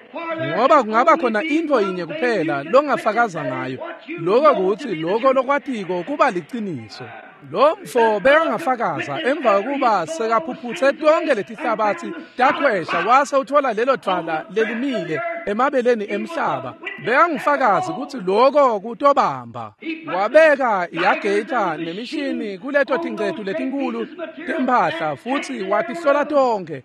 Speaker 1: Ngoba kungaba khona intfo yinye kuphela longafakaza ngayo, lokho kutsi lokho lokwatiko kuba liciniso. Lo mfo bekangafakaza emva kokuba sekaphuphutse tonke letihlabatsi takhwesha wase uthola lelo dvwala lelimile emabeleni emhlaba. Bekangufakazi kutsi lokho kutobamba. Wabeka yageyitha nemishini kuleto tingcetu letinkulu temphahla futsi watihlola tonke.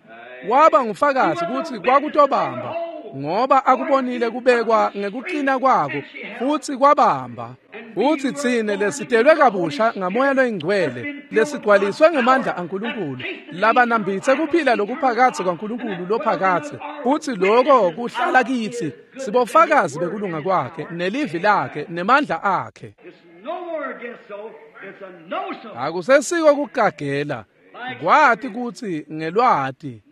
Speaker 1: Waba ngufakazi kutsi kwakutobamba ngoba akubonile kubekwa ngekuqina kwako futsi kwabamba. Futsi tsine lesitelwe kabusha ngamoya loyingcwele lesigcwaliswe ngemandla aNkulunkulu labanambitse kuphila lokuphakatsi kwaNkulunkulu lophakatsi futsi lokho kuhlala kitsi sibofakazi bekulunga kwakhe nelivi lakhe nemandla akhe. Akusesiko kugagela kwati kutsi ngelwati.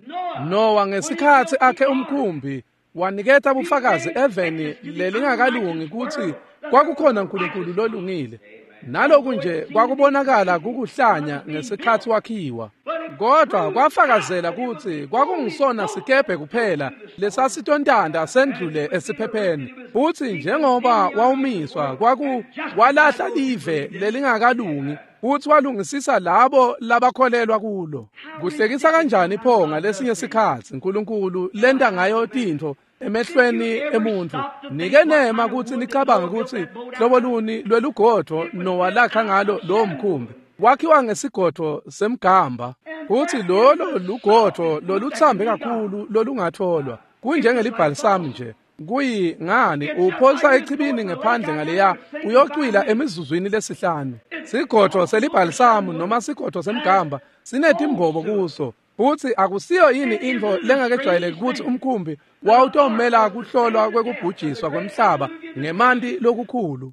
Speaker 1: Nowa ngesikhatsi akhe umkhumbi waniketa bufakazi eveni lelingakalungi kutsi kwakukhona uNkulunkulu lolungile. Naloku nje kwakubonakala kukuhlanya ngesikhatsi wakhiwa, kodwa kwafakazela kutsi kwakungisona sikebhe kuphela lesasitontanda sendlule esiphepheni. Futsi njengoba wawumiswa kwaku walahla live lelingakalungi futsi walungisisa labo labakholelwa kulo. Kuhlekisa kanjani pho ngalesinye sikhatsi uNkulunkulu lenta ngayo tintfo emehlweni emuntfu. Nike nema kutsi nicabange kutsi hlobo luni lwelugodvo Nowa lakha ngalo lowo mkhumbi. Wakhiwa ngesigodvo semgamba futsi lolo lugodvo lolutsambe kakhulu lolungatholwa kunjengelibhalisamu nje. Kuyi ngani uphosa echibini ngephandle ngaleya uyocwila emizuzwini lesihlanu. Sigodvo selibhalisamu noma sigodvo semgamba sinetimbobo kuso futsi akusiyo yini intfo lengakejwayeleki kutsi umkhumbi wawutomela kuhlolwa kwekubhujiswa kwemhlaba ngemanti lokukhulu.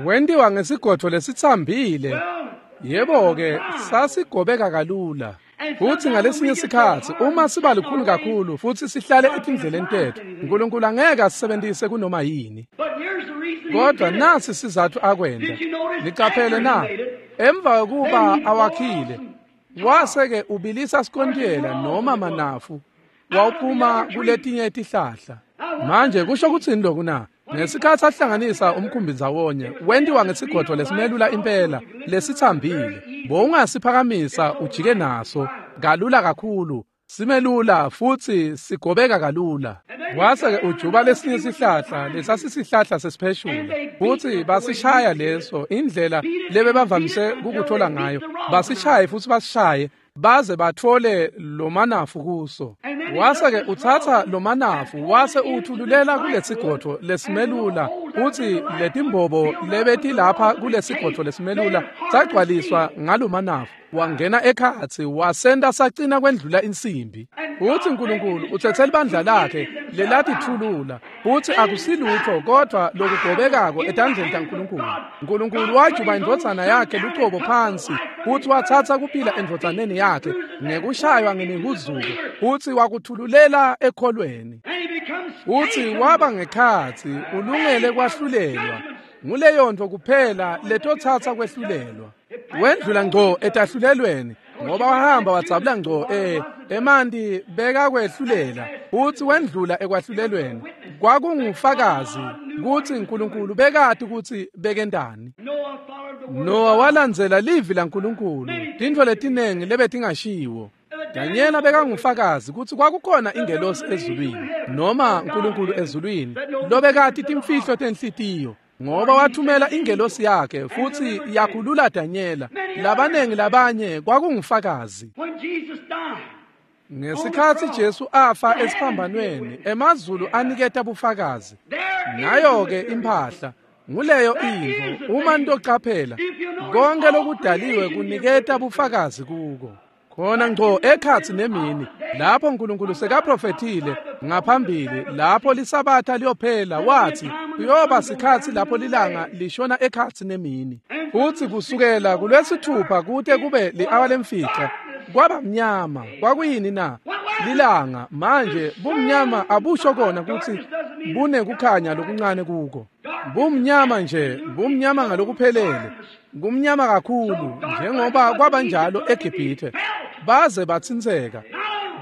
Speaker 1: Wentiwa ngesigodvo lesitsambile. Yebo-ke sasigobeka kalula. Futsi ngalesinye sikhatsi uma siba lukhuni kakhulu futsi sihlale etindleleni tetfu, uNkulunkulu angeke asisebentise kunoma yini. Kodwa nasi sizatfu akwenta. Nicaphele na? Emva kokuba awakhile, wase-ke ubilisa sikontiyela noma manafu wawuphuma kuletinye tihlahla. Manje kusho kutsini loku na? Ngesikhatsi ahlanganisa umkhumbi ndzawonye, wentiwa ngesigodvo lesimelula impela lesitsambile. Bowungasiphakamisa ujike naso kalula kakhulu, simelula futsi sigobeka kalula. Wase-ke ujuba lesinye sihlahla lesasisihlahla sesipheshula futsi basishaya leso indlela lebebavamise kukuthola ngayo. Basishaye futsi basishaye baze batfole lomanafu kuso. Wase-ke utsatsa lomanafu wase uthululela kulesigodvo lesimelula futsi letimbobo lebetilapha kulesigodvo lesimelula sagcwaliswa ngalomanafu. Wangena ekhatsi wasenta sacina kwendlula insimbi. Futsi uNkulunkulu utsetse libandla lakhe lelatithulula futsi akusilutho kodwa lokugobekako etandleni taNkulunkulu. uNkulunkulu wajuba indvodzana yakhe lucobo phansi futsi watsatsa kuphila endvodzaneni yakhe ngekushaywa ngemihuzuko futsi wakuthululela ekholweni. Futsi waba ngekhatsi ulungele kwahlulelwa. Nguleyo ntfo kuphela letotsatsa kwehlulelwa. Wendlula ngco etahlulelweni ngoba wahamba wadzabula ngco eh emanti bekakwehlulela futsi wendlula ekwahlulelweni. Kwakungufakazi kutsi uNkulunkulu bekati kutsi bekentani. Nowa walandzela livi laNkulunkulu, tintfo letinengi lebetingashiwo. Danyela bekangufakazi kutsi kwakukhona ingelosi ezulwini noma uNkulunkulu ezulwini lobekati timfihlo tenhlitiyo, ngoba wathumela ingelosi yakhe futsi yakhulula Danyela. Labanengi labanye kwakungufakazi. Ngesikhatsi Jesu afa esiphambanweni, emazulu aniketa bufakazi. Nayo-ke imphahla Nguleyo intfo uma nitoqaphela konke lokudaliwe kuniketa bufakazi kuko. Khona ngco ekhatsi nemini lapho uNkulunkulu sekaprofethile ngaphambili lapho lisabatha liyophela wathi kuyoba sikhatsi lapho lilanga lishona ekhatsi nemini. Futhi kusukela kulwesithupha kute kube li-awa lemfica kwaba mnyama. Kwakuyini na? Lilanga. Manje bumnyama abusho kona kutsi bunekukhanya lokuncane kuko. Bumnyama nje, bumnyama ngalokuphelele, kumnyama kakhulu njengoba kwabanjalo eGibhithe baze batsintseka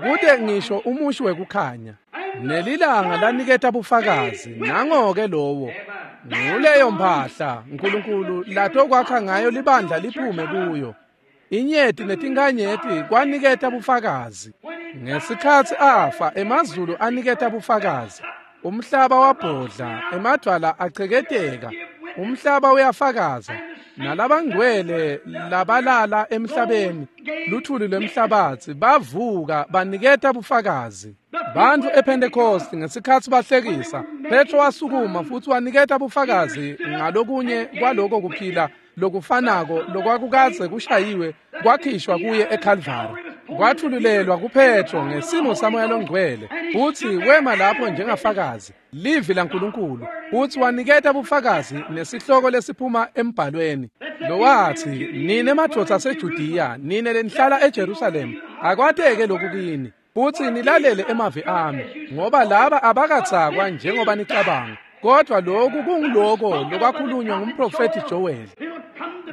Speaker 1: kute ngisho umushi wekukhanya. Nelilanga laniketa bufakazi nangoke lowo nguleyo mphahla uNkulunkulu latokwakha ngayo libandla liphume kuyo. Inyeti netinkanyeti kwaniketa bufakazi. Ngesikhatsi afa emazulu aniketa bufakazi. Umhlaba wabhodla, emadvwala acheketeka, umhlaba uyafakaza. Nalabangcwele labalala emhlabeni, luthuli lwemhlabatsi bavuka baniketa bufakazi. Bantfu ePentecost ngesikhatsi bahlekisa, Petro wasukuma futsi waniketa bufakazi ngalokunye kwaloko kuphila lokufanako lokwakukadze kushayiwe kwakhishwa kuye eCalvary. Kwathululelwa kuPetro ngesimo saMoya loNgcwele futsi wema lapho njengafakazi livi laNkulunkulu futsi waniketa bufakazi nesihloko lesiphuma embhalweni lowathi nine madvodza aseJudiya nine lenihlala eJerusalema akwateke lokhu kini futsi nilalele emavi ami ngoba laba abakatsakwa njengoba nicabanga kodwa lokhu kunguloko lokwakhulunywa ngumprofethi Joel.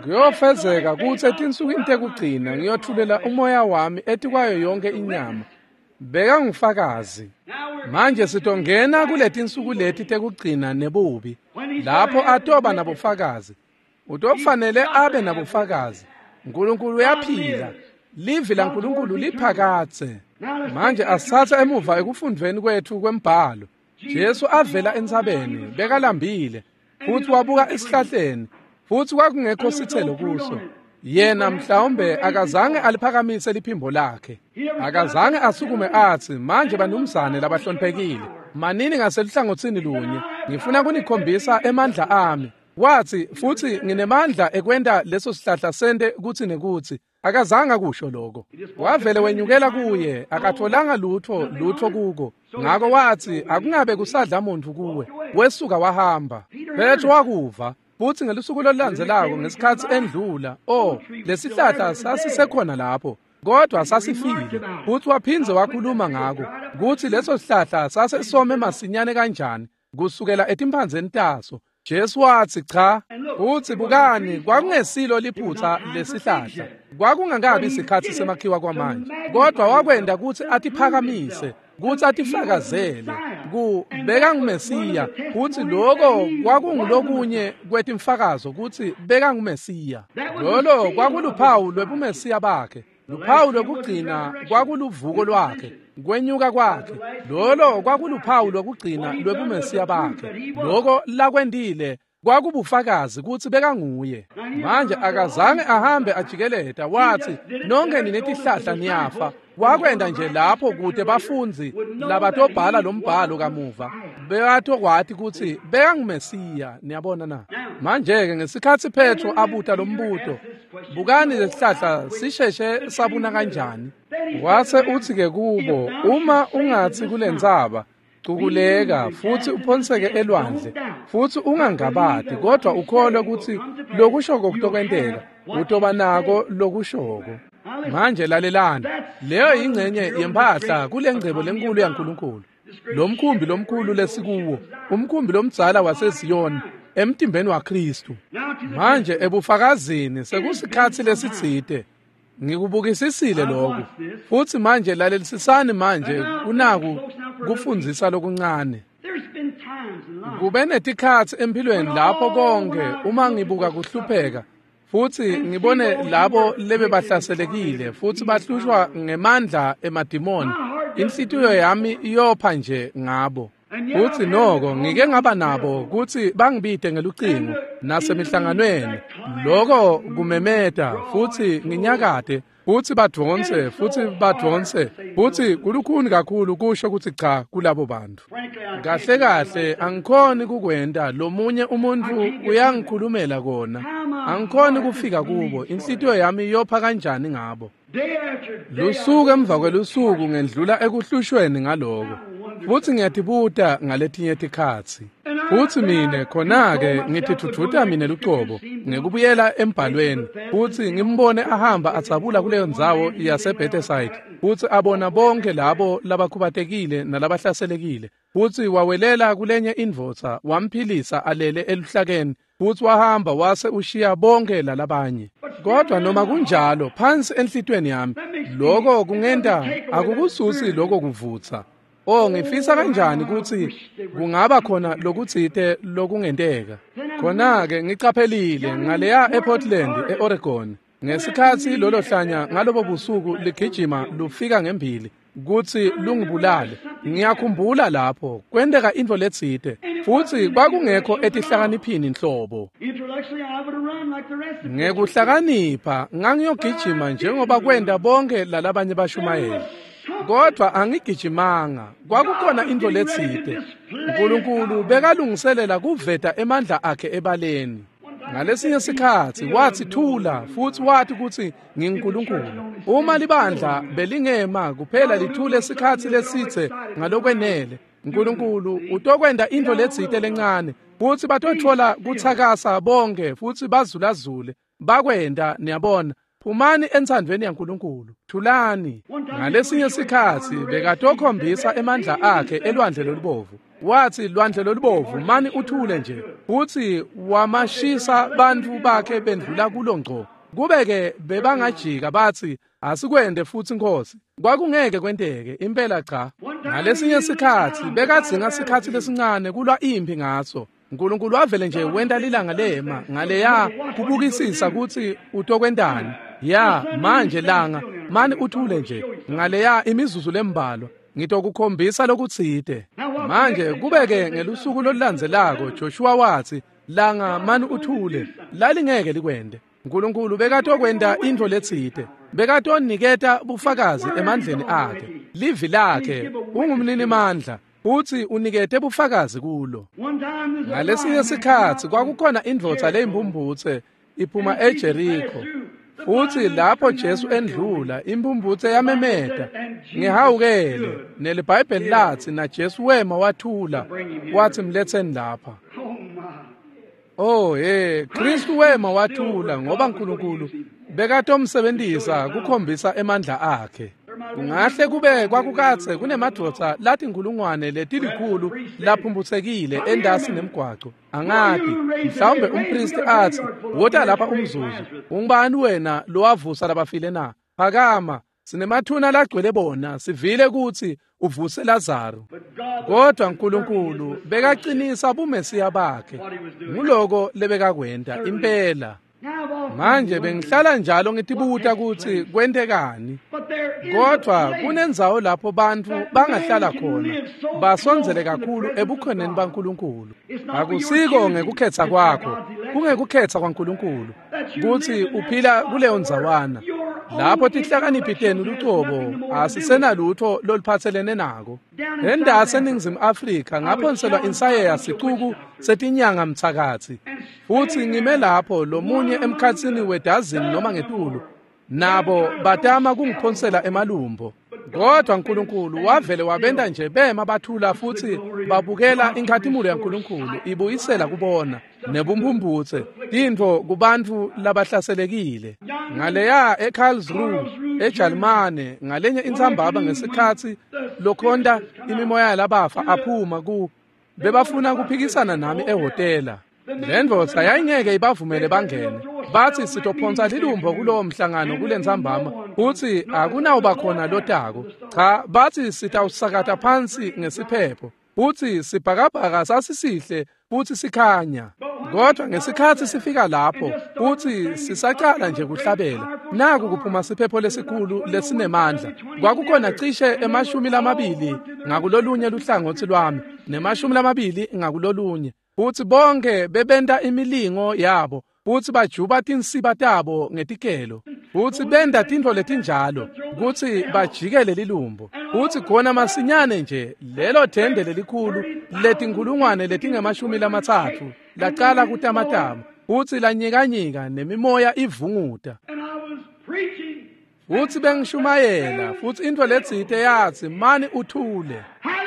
Speaker 1: Kuyofezeka kutsi etinsukwini tekugcina ngiyothulela umoya wami etikwayo yonke inyama. Bekangufakazi. Manje sitongena kuletinsuku leti tekugcina nebubi lapho atoba nabufakazi. Utofanele abe nabufakazi. uNkulunkulu uyaphila. Livi laNkulunkulu liphakadze. Manje asithathe emuva ekufundveni kwethu kwembhalo. Jesu avela entsabeni bekalambile futsi wabuka esihlahleni futsi kwakungekho sithelo kuso. Yena mhlawumbe akazange aliphakamise liphimbo lakhe. Akazange asukume atsi manje banumzane labahloniphekile manini ngaseluhlangotsini lunye ngifuna kunikhombisa emandla ami. Wathi futsi nginemandla ekwenta leso sihlahla sente kutsi nekutsi. Akazange akusho lokho. Wavele wenyukela kuye akatholanga lutho lutho kuko. Ngako wathi akungabe kusadla muntu kuwe. Wesuka wahamba. Petro wakuva futsi ngelusuku lolulandzelako ngesikhatsi endlula oh lesihlahla sasisekhona lapho kodwa sasifile. Futsi waphindze wakhuluma ngako kutsi leso sihlahla sasesome masinyane kanjani kusukela etimphandzeni taso. Jesu wathi cha. Futsi bukani kwakungesilo liphutha lesihlahla. Kwakungakabi isikhatsi semakhiwa kwamanje kodwa wakwenda kutsi atiphakamise kutsi atifakazele ku bekangumesiya kutsi loko kwakungulokunye kwetimfakazo kutsi bekangumesiya. Lolo kwakuluphawu lwebumesiya bakhe. Luphawu lokugcina kwakuluvuko lwakhe, kwenyuka kwakhe. Lolo kwakuluphawu lokugcina lwebumesiya bakhe. Loko lakwendile kwakubufakazi kutsi bekanguye. Manje akazange ahambe ajikeleta wathi nonke ninetihlahla niyafa. Wakwenda nje lapho kute bafundzi labatobhala lombhalo kamuva bekatokwati kutsi bekangumesiya. Niyabona na? Manje ke ngesikhatsi Petro abuta lombuto bukani lesihlahla sisheshe sabuna kanjani, wase uthi ke kubo uma ungatsi kulentsaba cukuleka futsi uphonseke elwandle futsi ungangabati kodwa ukholwe kutsi lokushoko kutokwenteka utoba nako lokushoko. Manje lalelani, leyo yingcenye yemphahla kulengcebo lenkulu yaNkulunkulu. Lo mkhumbi lomkhulu lesikuwo, umkhumbi lomdzala waseZiyoni emtimbeni waKristu. Manje ebufakazini sekusikhatsi lesitsite ngikubukisisile lokhu futsi manje lalelisisani manje kunaku kufundzisa lokuncane. Kube netikhatsi empilweni lapho konke uma ngibuka kuhlupheka futsi ngibone labo lebebahlaselekile futsi bahlushwa ngemandla emadimoni, inhlitiyo yami iyopha nje ngabo. Futsi noko ngike ngaba nabo kutsi bangibite ngelucingo nasemihlanganweni, loko kumemeta futsi nginyakate Futsi badvonse, futsi badvonse, futsi kulukhuni kakhulu kusho kutsi cha kulabo bantfu. Kahle kahle angikhoni kukwenta, lomunye umuntfu uyangikhulumela kona. Angikhoni kufika kubo, inhlitiyo yami iyopha kanjani ngabo. Lusuku emva kwelusuku ngendlula ekuhlushweni ngaloko. Futsi ngiyatibuta ngaletinye tikhatsi. Futsi mine khona-ke ngitidvudvuta mine lucobo ngekubuyela embhalweni futsi ngimbone ahamba adzabula kuleyo ndzawo yaseBethesayida futsi abona bonke labo labakhubatekile nalabahlaselekile futsi wawelela kulenye indvodza wamphilisa alele eluhlakeni futsi wahamba wase ushiya bonke lalabanye. Kodwa noma kunjalo phansi enhlitiyweni yami lokho kungenta akukususi lokho kuvutsa. Oh, ngifisa kanjani kutsi kungaba khona lokutsite lokungenteka. Khona-ke ngicaphelile ngaleya ePortland, eOregon, ngesikhatsi lolo hlanya ngalobo busuku ligijima lufika ngembili kutsi lungibulale. Ngiyakhumbula lapho kwenteka intfo letsite futsi kwakungekho etihlakaniphini nhlobo. Ngekuhlakanipha ngangiyogijima njengoba kwenta bonke lalabanye bashumayeli. Kodwa angigijimanga, kwakukhona intfo letsite. Nkulunkulu bekalungiselela kuveta emandla akhe ebaleni. Ngalesinye sikhatsi watsi thula futsi wathi kutsi nginguNkulunkulu. Uma libandla belingema kuphela lithule sikhatsi lesitse ngalokwenele, Nkulunkulu utokwenta intfo letsite lencane futsi batotfola kutsakasa bonke futsi bazulazule. Bakwenta, niyabona. Phumani entsandvweni yaNkulunkulu, thulani. Ngalesinye sikhatsi bekatokhombisa emandla akhe elwandle lolubovu. Watsi lwandle lolubovu mani uthule nje, futsi wamashisa bantfu bakhe bendlula kulo ngco. Kube-ke bebangajika batsi asikwende futsi Nkosi, kwakungeke kwenteke impela cha. Ngalesinye sikhatsi bekadzinga sikhatsi lesincane kulwa imphi ngaso. Nkulunkulu wavele nje wenta lilanga lema ngaleya kubukisisa kutsi utokwentani. Ya manje langa mani uthule nje ngaleya imizuzu lembalwa ngitokukhombisa lokutsite. Manje kubeke ngelusuku lolulandzelako Joshua watsi langa mani uthule, lalingeke likwende. Nkulunkulu bekatokwenta intfo letsite, bekatoniketa bufakazi emandleni akhe. Livi lakhe ungumninimandla futsi unikete bufakazi kulo. Ngalesinye sikhatsi kwakukhona indvodza leyimphumphutse iphuma eJeriko. Futsi lapho Jesu endlula imphumphutse yamemeta ngihawukele, neliBhayibheli latsi na Jesu wema wathula wathi mletheni lapha. Oh hey, Kristu wema wathula ngoba Nkulunkulu bekatomsebentisa kukhombisa emandla akhe. Kungahle kube kwakukatse kunemadvodza lathi inkulungwane letilikhulu laphumphutsekile endasi nemgwaco. Angati, mhlawumbe umpristi atsi wota lapha umzuzu, ungubani wena lowavusa labafile na? Phakama, sinemathuna lagcwele bona, sivile kutsi uvuse Lazaro. Kodwa Nkulunkulu bekacinisa bumesiya bakhe. Nguloko lebekakwenta impela. Manje bengihlala njalo ngitibuta kutsi kwentekani. Kodwa kunendzawo lapho bantfu bangahlala khona basondzele kakhulu ebukhoneni baNkulunkulu. Akusiko ngekukhetha kwakho, kungekukhetha kwaNkulunkulu kutsi uphila kuleyo ndzawana. Lapho tihlakaniphi tenu lucobo asisenalutho loluphatselene nako. Endasi eNingizimu Afrika ngaphonselwa insayeya sicuku setinyanga mthakathi. Futsi ngime lapho lomunye emkhatsini wedazini noma ngetulu, nabo batama kungiphonsela emalumbo. Kodwa Nkulunkulu wavele wabenta nje bema bathula futsi babukela inkhatimulo yaNkulunkulu ibuyisela kubona nebumphumputse tintfo kubantfu labahlaselekile. Ngaleya eKarlsruhe eJalimane ngalenye intsambama ngesikhatsi lokhonta imimoya yalabafa aphuma ku bebafuna kuphikisana nami ehhotela. Le ndvodza yayingeke ibavumele bangene. Batsi sitophonsa lilumbo kulowo mhlangano kulentsambama futsi akunawuba khona lotako. Cha, batsi sitawusakata phansi ngesiphepho futsi sibhakabhaka sasisihle futsi sikhanya. Kodwa ngesikhatsi sifika lapho futsi sisacala nje kuhlabela, naku kuphuma siphepho lesikhulu lesinemandla. Kwakukhona cishe emashumi lamabili ngakulolunye luhlangotsi lwami nemashumi lamabili ngakulolunye. Futsi bonke bebenta imilingo yabo futsi bajuba tinsiba tabo ngetikelo. Futsi benda tintfo letinjalo kutsi bajikele lilumbo. Futsi khona masinyane nje lelo thende lelikhulu letinkhulungwane letingemashumi lamatsatfu lacala kutamatama futsi lanyikanyika nemimoya ivunguta. Futsi bengishumayela futsi intfo letsite yatsi mani uthule.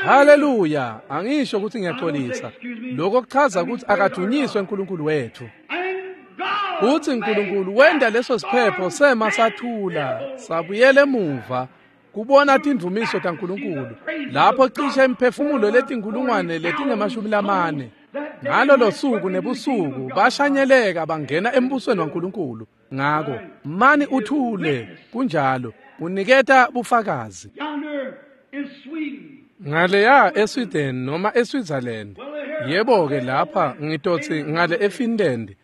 Speaker 1: Haleluya, angisho ukuthi ngiyaxolisa. Lokho kuchaza ukuthi akadunyiswe uNkulunkulu wethu. Futsi uNkulunkulu wenda leso siphepho sema sathula sabuyela emuva kubona tindvumiso taNkulunkulu lapho cishe imiphefumulo letinkhulungwane letingemashumi lamane ngalolo suku nebusuku bashanyeleka bangena embusweni waNkulunkulu. Ngako mani uthule, kunjalo uniketa bufakazi. Ngaleya eSweden noma eSwitzerland, yebo-ke lapha ngitotsi ngale eFinland,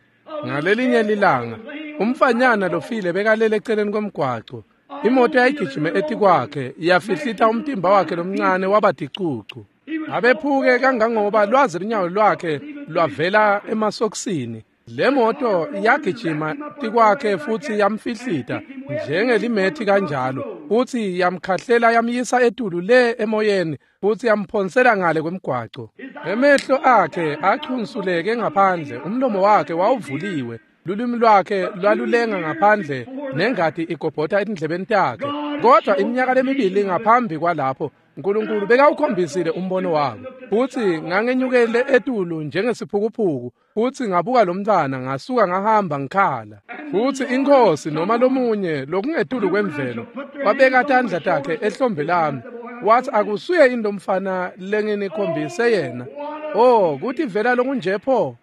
Speaker 1: ngalelinye lilanga umfanyana lofile bekalele eceleni kwemgwaco. Imoto yayigijime etikwakhe yafihlita umtimba wakhe lomncane waba ticucu. Abephuke kangangoba lwazi lunyawo lwakhe lwavela emasokisini. Le moto yagijima tikwakhe futsi yamfihlita njengelimethi kanjalo, futsi yamkhahlela yamyisa etulu le emoyeni futsi yamphonsela ngale kwemgwaco. Emehlo akhe achunsuleke ngaphandle, umlomo wakhe wawuvuliwe, lulwimi lwakhe lwalulenga ngaphandle nengati igobhota etindlebeni takhe. Kodwa iminyaka lemibili ngaphambi kwalapho uNkulunkulu bekawukhombisile umbono wabo. Futsi ngangenyukele etulu njengesiphukuphuku futsi ngabuka lo mntwana ngasuka ngahamba ngikhala. Futsi inkosi noma lomunye lokungetulu kwemvelo wabeka tandla takhe ehlombe lami wathi akusuye yini lo mfana lenginikhombise yena. Oh, kuthi vela lokunje pho.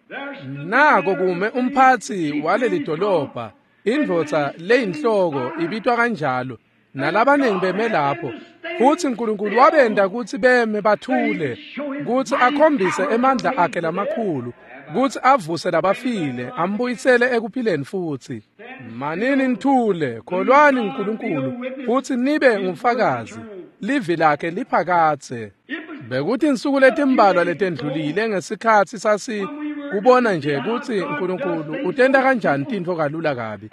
Speaker 1: Nako kume umphatsi waleli dolobha, indvodza leyinhloko ibitwa kanjalo, nalabaningi beme lapho. Futsi uNkulunkulu wabenda kutsi beme bathule, kutsi akhombise emandla akhe lamakhulu, kutsi avuse labafile, ambuyisele ekuphileni futsi. Manini nithule, kholwani uNkulunkulu, futsi nibe ngufakazi. Livi lakhe liphakadze. Bekuthi insuku letimbalwa letendlulile ngesikhatsi sasi kubona nje kutsi uNkulunkulu utenta kanjani tintfo kalula kabi.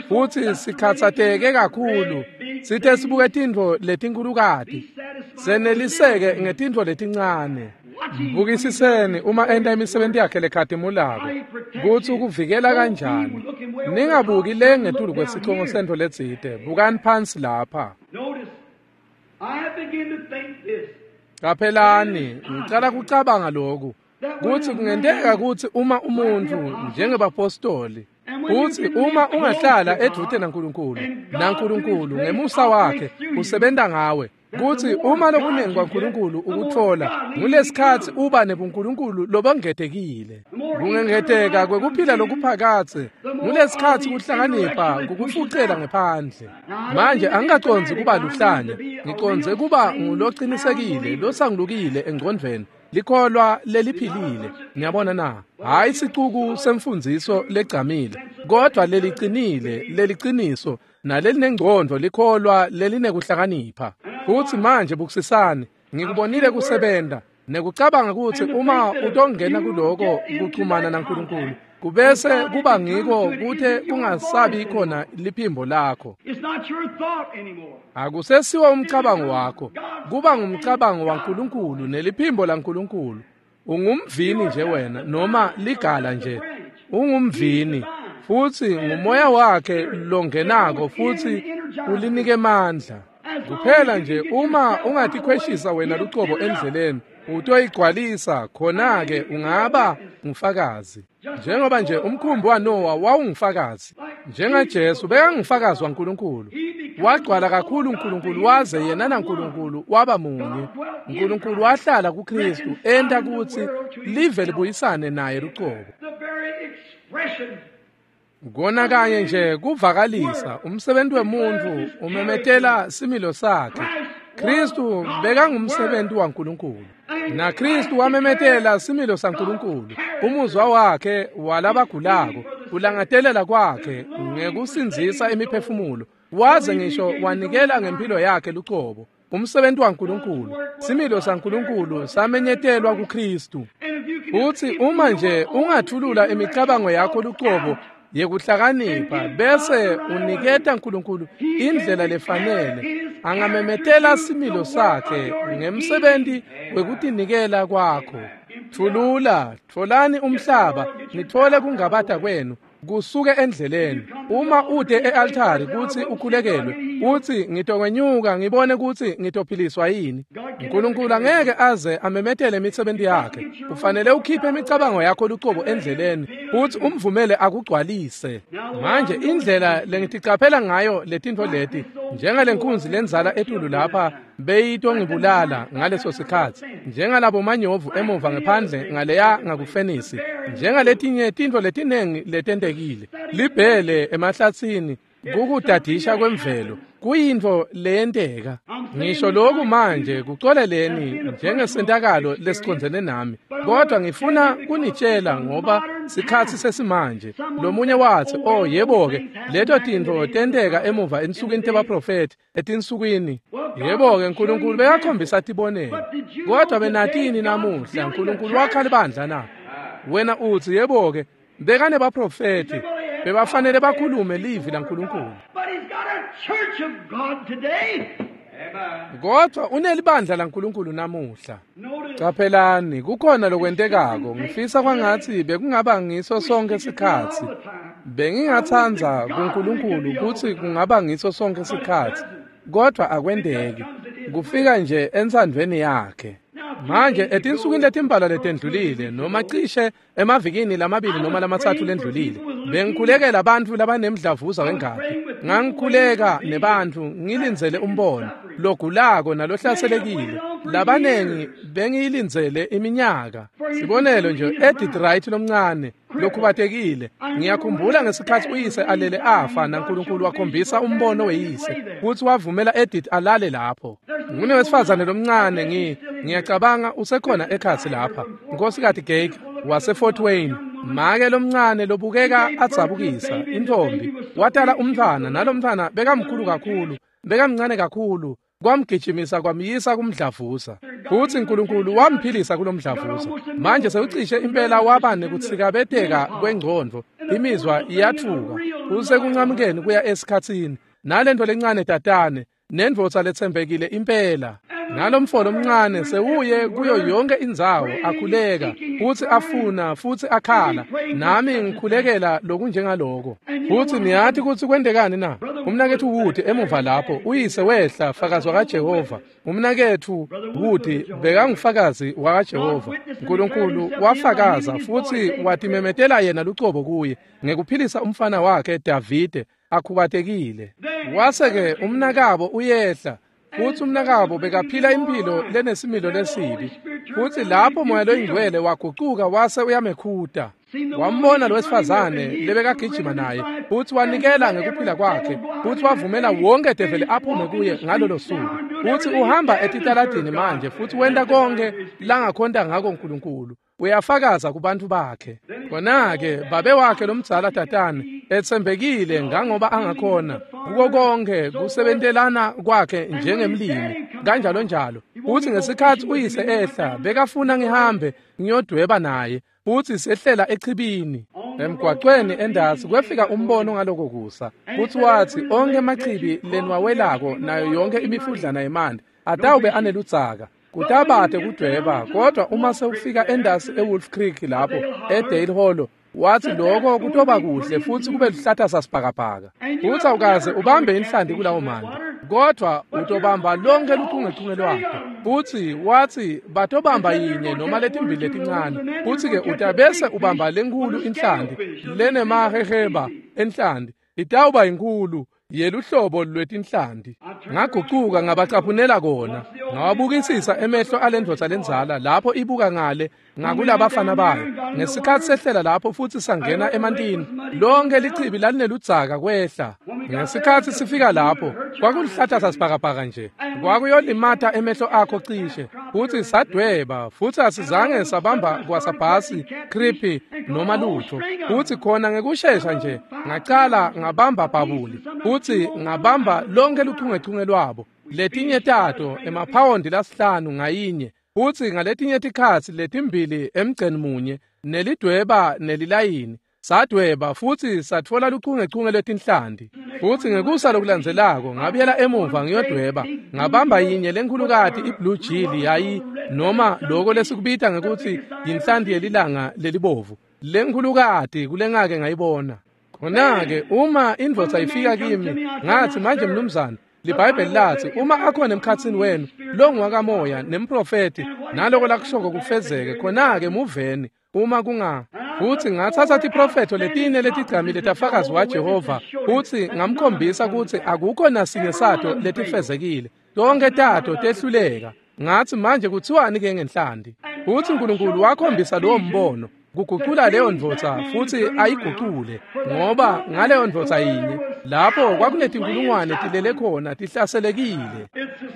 Speaker 1: Futsi sikhatsateke kakhulu, sithe sibuke tintfo letinkhulukati, seneliseke ngetintfo letincane. Bukisiseni uma enta imisebenti yakhe lekhatimulako, kutsi ukuvikela kanjani. Ningabuki le ngetulu kwesicongo sentfo letsite, bukani phansi lapha. Qaphelani, ngicala kucabanga lokhu, kutsi kungenteka kutsi uma umuntfu njengebapostoli, kutsi uma ungahlala edvute naNkulunkulu, naNkulunkulu ngemusa wakhe usebenta ngawe, kutsi uma lokunengi kwaNkulunkulu ukutfola ngulesikhatsi uba nebuNkulunkulu lobongetekile. Kungengeteka kwekuphila lokuphakadze ngulesikhatsi kuhlakanipha kukufucela ngephandle. Manje angikacondzi kuba luhlanya, ngicondze kuba ngulocinisekile losangulukile engcondvweni, likholwa leliphilile. Ngiyabona na, hayi sicuku semfundziso legcamile, kodwa lelicinile, leliciniso nalelinengcondvo, likholwa lelinekuhlakanipha. Futsi manje bukisisani, ngikubonile kusebenta nekucabanga kutsi uma utongena kuloko kuchumana naNkulunkulu, kubese kuba ngiko kuthe kungasabi khona liphimbo lakho. Akusesiwo umcabango wakho, kuba ngumcabango waNkulunkulu neliphimbo laNkulunkulu. Ungumvini nje wena noma ligala nje, ungumvini futsi ngumoya wakhe longenako futsi ulinike emandla. Kuphela nje uma ungatikhweshisa wena lucobo endleleni, utoyigcwalisa, khona-ke ungaba ngufakazi. Njengoba nje umkhumbi waNowa wawungufakazi, njengaJesu bekangufakazi waNkulunkulu. Wagcwala kakhulu uNkulunkulu waze yena naNkulunkulu waba munye. uNkulunkulu wahlala kuKristu enta kutsi live libuyisane naye lucobo. Kona kanye nje kuvakalisa umsebenzi wemuntfu umemetela similo sakhe. Kristu bekangumsebenzi waNkulunkulu, naKristu wamemetela similo saNkulunkulu. Umuzwa wakhe walabagulako, ulangatelela kwakhe ngekusindzisa imiphefumulo, waze ngisho wanikela ngempilo yakhe lucobo. Umsebenzi waNkulunkulu, similo saNkulunkulu samenyetelwa kuKristu. Futsi uma nje ungathulula imicabango yakho lucobo yekuhlakanipha bese uniketa uNkulunkulu indlela lefanele angamemetela similo sakhe ngemsebenzi wekutinikela kwakho. Thulula, tfolani umhlaba, nithole kungabata kwenu kusuke endleleni. Uma ude e-altari kutsi ukhulekelwe, uthi ngitokwenyuka ngibone kutsi ngitophiliswa yini. uNkulunkulu angeke aze amemetele imisebenti yakhe. Ufanele ukhiphe imicabango yakho lucobo endleleni futhi umvumele akugcwalise. Manje indlela lengiticaphela ngayo letintfo leti, njengalenkunzi lenzala etulu lapha beyitongibulala ngaleso sikhatsi, njengalabo manyovu emuva ngephandle ngaleya ngakufenisi, njengaletinye tintfo letinengi letentekile, libhele emahlatsini, kukudadisha kwemvelo kuyintfo leyenteka. Ngisho lokhu manje kucoleleni njengesentakalo lesicondzene nami, kodwa ngifuna kunitshela ngoba sikhatsi sesimanje. Lomunye wathi, oh yebo-ke, leto tintfo tenteka emuva ensukwini tebaprofethi, etinsukwini. Yebo-ke, uNkulunkulu bekakhombisa tibonelo. Kodwa benatini namuhla, uNkulunkulu wakha libandla na? Wena uthi, yebo-ke, bekanebaprofethi, bebafanele bakhulume livi laNkulunkulu. Kodwa unelibandla laNkulunkulu namuhla. Caphelani, kukhona lokwentekako. Ngifisa kwangatsi bekungaba ngiso sonke sikhatsi. Bengingatsandza kuNkulunkulu kutsi kungaba ngiso sonke sikhatsi, kodwa akwenteki. Kufika nje entsandvweni yakhe. Manje etinsukwini letimbalwa letendlulile, noma cishe emavikini lamabili noma lamatsatfu lendlulile, bengikhulekela bantfu labanemdlavuza wengati. Ngangikhuleka nebantfu ngilindzele umbono logulako nalohlaselekile. Labanengi bengiyilindzele iminyaka. Sibonelo nje, Edith Wright lomncane lokhubatekile, ngiyakhumbula ngesikhatsi uyise alele afa naNkulunkulu wakhombisa umbono weyise kutsi wavumela Edith alale lapho. Ngunewesifazane lomncane, ngi ngiyacabanga usekhona ekhatsi lapha, Nkosikazi Gake wase Fort Wayne, make lomncane lobukeka adzabukisa, intfombi, watala umntfwana, nalomntfwana bekamkhulu kakhulu, bekamncane kakhulu, kwamgijimisa kwamyisa kumdlavuza. Futsi uNkulunkulu wamphilisa kulomdlavuza. Manje sewucishe impela waba nekutsikabeteka kwengcondvo, imizwa iyatfuka, usekuncamukeni kuya esikhatsini, nalento lencane tatane, nendvodza letsembekile impela. Nalomfo lomncane sewuye kuyo yonke indzawo akhuleka futsi afuna futsi akhala, nami ngikhulekela lokunjengaloko. Futsi niyati kutsi kwentekani na? Umnaketfu Wood emuva lapho, uyise wehla fakazi wakaJehova. Umnaketfu Wood bekangufakazi wakaJehova. uNkulunkulu wafakaza futsi watimemetela yena lucobo kuye ngekuphilisa umfana wakhe Davide akhubatekile. Wase-ke umnakabo uyehla, futsi umnakabo bekaphila impilo lenesimilo lesibi. Futsi lapho Moya loyiNgcwele wagucuka wase uyamekhuta. Wambona lowesifazane lebekagijima naye, futsi wanikela ngekuphila kwakhe, futsi wavumela wonke develi aphume kuye ngalolo suku. Futsi uhamba etitaladini manje futsi wenta konke langakhonta ngako uNkulunkulu. Uyafakaza kubantfu bakhe. Khona-ke babe wakhe lomdzala tatane etsembekile ngangoba angakhona kuko konke kusebentelana kwakhe njengemlimi kanjalo njalo. Futsi ngesikhatsi uyise ehla, bekafuna ngihambe ngiyodweba naye, futsi sehlela echibini emgwacweni endasi. Kwefika umbono ngaloko kusa, futsi watsi onkhe emachibi leniwawelako nayo yonke imifudlana yemanti atawube aneludzaka, kutabate kudweba. Kodwa uma sewufika endasi eWolf Creek lapho eDale Hollow, wathi lokho kutoba kuhle futsi kube luhlata sasibhakabhaka. Futsi awukaze ubambe inhlanti kulawo manti, kodwa utobamba lonke luchungechunge lwakhe. Futsi wathi batobamba yinye noma letimbili letincane, futsi-ke utabese ubamba lenkhulu inhlanti lenemaheheba enhlanti, itawuba inkhulu yeluhlobo lwetinhlanti. Ngagucuka ngabacaphunela kona, ngawabukisisa emehlo alendvodza lendzala lapho ibuka ngale ngakulabafana bayo. Ngesikhatsi sehlela lapho futsi sangena emantini, lonke lichibi lalineludzaka kwehla. Ngesikhatsi sifika lapho, kwakulihlata sasibhakabhaka nje, kwakuyolimata emehlo akho cishe. Futsi sadweba, futsi asizange sabamba kwasabhasi, creepy noma lutho. Futsi khona ngekushesha nje ngacala ngabamba bhabuli, futsi ngabamba lonke luchungechunge lwabo, letinye tato emaphawondi lasihlanu ngayinye, futsi ngaletinye tikhatsi letimbili emgceni munye, nelidweba nelilayini. Sadweba futhi satfola luchungechunge lwetinhlanti. Futhi ngekusa lokulandzelako ngabuyela emuva ngiyodweba, ngabamba yinye lenkhulukati i-blue jill yayi noma loko lesikubita ngekuthi yinhlanti yelilanga lelibovu, lenkhulukati kulengake ngayibona. Khona-ke uma indvodza ifika kimi, ngathi, manje mnumzane, liBhayibheli lathi uma akhona emkhatsini wenu longwakamoya nemprofeti naloko lakushoko kufezeke, khona-ke muveni uma kunga. Futhi ngathatha tiprofetho letine letigcamile tafakazi waJehova futhi ngamkhombisa kutsi akukho nasinye sato letifezekile, tonke tato tehluleka. Ngathi, manje kuthiwani-ke ngenhlanti? Futhi uNkulunkulu wakhombisa lowo mbono kugucula leyo ndvodza futhi ayigucule, ngoba ngaleyo ndvodza yinye lapho kwakunetinkulungwane tilele khona tihlaselekile.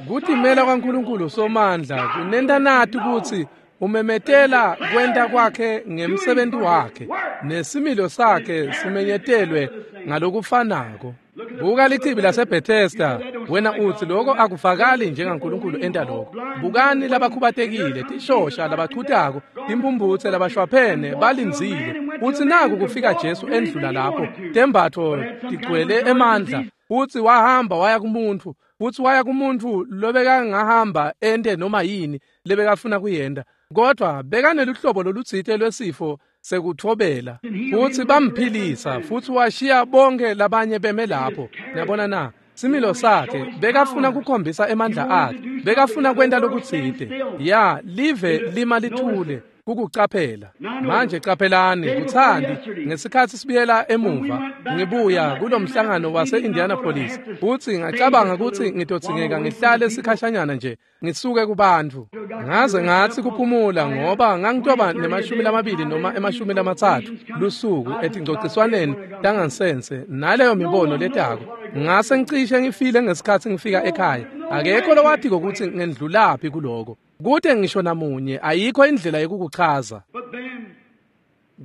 Speaker 1: Kutimela kwaNkulunkulu Somandla kunenta nati kutsi umemetela kwenta kwakhe ngemsebenti wakhe, nesimilo sakhe simenyetelwe ngalokufanako. Buka lichibi laseBethesda, wena utsi lokho akufakali njengaNkulunkulu enta lokho. Bukani labakhubatekile, tishosha labachutako, timphumphutse labashwaphene balindzile. Utsi naku kufika Jesu endlula lapho, tembatfo tigcwele emandla. Utsi wahamba waya kumuntfu, futsi waya kumuntfu lobekangahamba ente noma yini lebekafuna kuyenta, kodwa bekaneluhlobo lolutsite lwesifo sekutfobela. Futsi bamphilisa futsi washiya bonke labanye beme lapho. Niyabona na? Similo sakhe bekafuna kukhombisa emandla akhe, bekafuna kwenta lokutsite. Ya, live lima lithule kukucaphela. Manje caphelani, kuthandi ngesikhatsi sibuyela emuva ngibuya kulomhlangano wase-Indianapolis, futsi ngacabanga kutsi ngitodzingeka ngihlale sikhashanyana nje ngisuke kubantfu. Ngaze ngatsi kuphumula ngoba ngangitoba nemashumi lamabili noma emashumi lamatsatfu lusuku etingcociswaneni tangansense naleyo mibono letako. Ngase ngicishe ngifile ngesikhatsi ngifika ekhaya. Akekho lowatiko kutsi ngendlulaphi kuloko. Kute ngisho namunye, ayikho indlela yekukuchaza.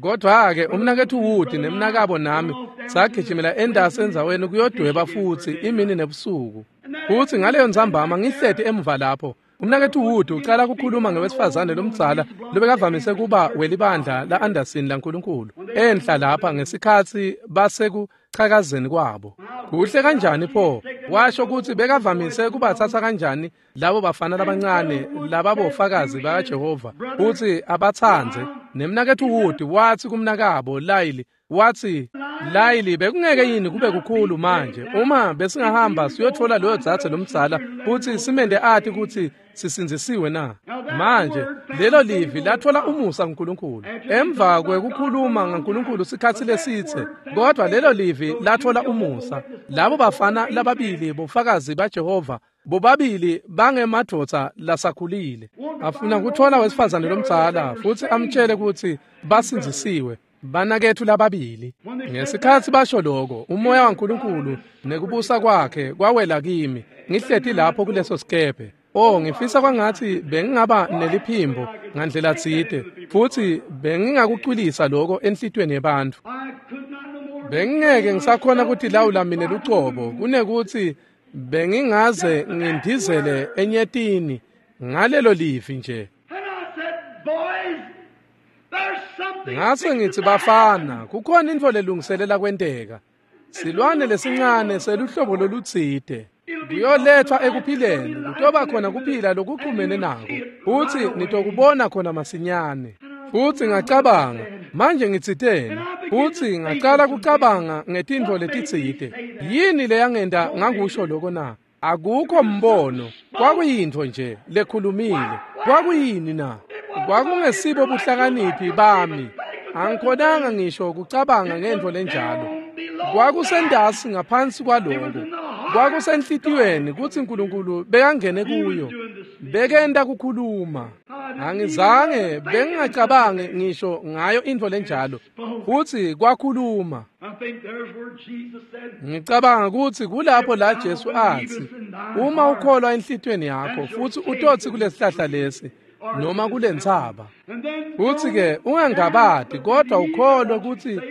Speaker 1: Kodwa-ke umnaketfu Wood nemnakabo nami sagijimela endasi endzaweni kuyodweba futsi imini nebusuku. Futsi ngaleyo ntsambama ngihleti emuva lapho, umnaketfu Wood ucala kukhuluma ngewesifazane lomdzala lobekavamise kuba welibandla la-Anderson laNkulunkulu enhla lapha ngesikhatsi basekuchakazeni kwabo. Kuhle kanjani pho? Washo kutsi bekavamise kubatsatsa kanjani labo bafana labancane lababofakazi bakaJehova futsi abatsandze. Nemnaketfu Wood watsi kumnakabo Layili, watsi, Layili, bekungeke yini kube kukhulu manje uma besingahamba siyotfola loyo dzadze lomdzala futsi simende ati kutsi sisindzisiwe na? Manje lelo livi latfola umusa kuNkulunkulu emva kwekukhuluma ngaNkulunkulu sikhatsi lesitse, kodwa lelo livi latfola umusa. Labo bafana lababili bofakazi baJehova bobabili bangemadvodza lasakhulile, afuna kutfola wesifazane lomdzala futsi amtjele kutsi basindzisiwe banaketfu lababili. Ngesikhatsi basho lokho, umoya waNkulunkulu nekubusa kwakhe kwawela kimi ngihleti lapho kuleso sikebhe. Oh, ngifisa kwangatsi bengingaba neliphimbo ngandlela tsite futsi bengingakucwilisa lokho enhlitiyweni yebantfu. Bengingeke ngisakhona kutilawula mine lucobo, kunekutsi bengingaze ngindizele enyetini ngalelo livi nje. Ngase ngitsi, bafana, kukhona intfo lelungiselela kwenteka. Silwane lesincane seluhlobo lolutsite kuyolethwa ekuphileni, kutoba khona kuphila lokuxhumene nako, futsi nitokubona khona masinyane. Futsi ngacabanga, manje ngitsiteni? Futsi ngacala kucabanga ngetintfo letitsite. Yini leyangenta ngakusho lokho na? Akukho mbono, kwakuyintfo nje lekhulumile. Kwakuyini na? Kwakungesibo buhlakaniphi bami. Angikhonanga ngisho kucabanga ngentfo lenjalo. Kwakusendasi ngaphansi kwaloko. Kwakusenhlitiyweni kutsi uNkulunkulu bekangene kuyo, bekenta kukhuluma. Angizange bengingacabangi ngisho ngayo intfo lenjalo, futsi kwakhuluma. Ngicabanga kutsi kulapho la Jesu atsi, uma ukholwa enhlitiyweni yakho futsi utotsi kulesihlahla lesi noma kulentsaba, futsi-ke ungangabati kodwa ukholwe kutsi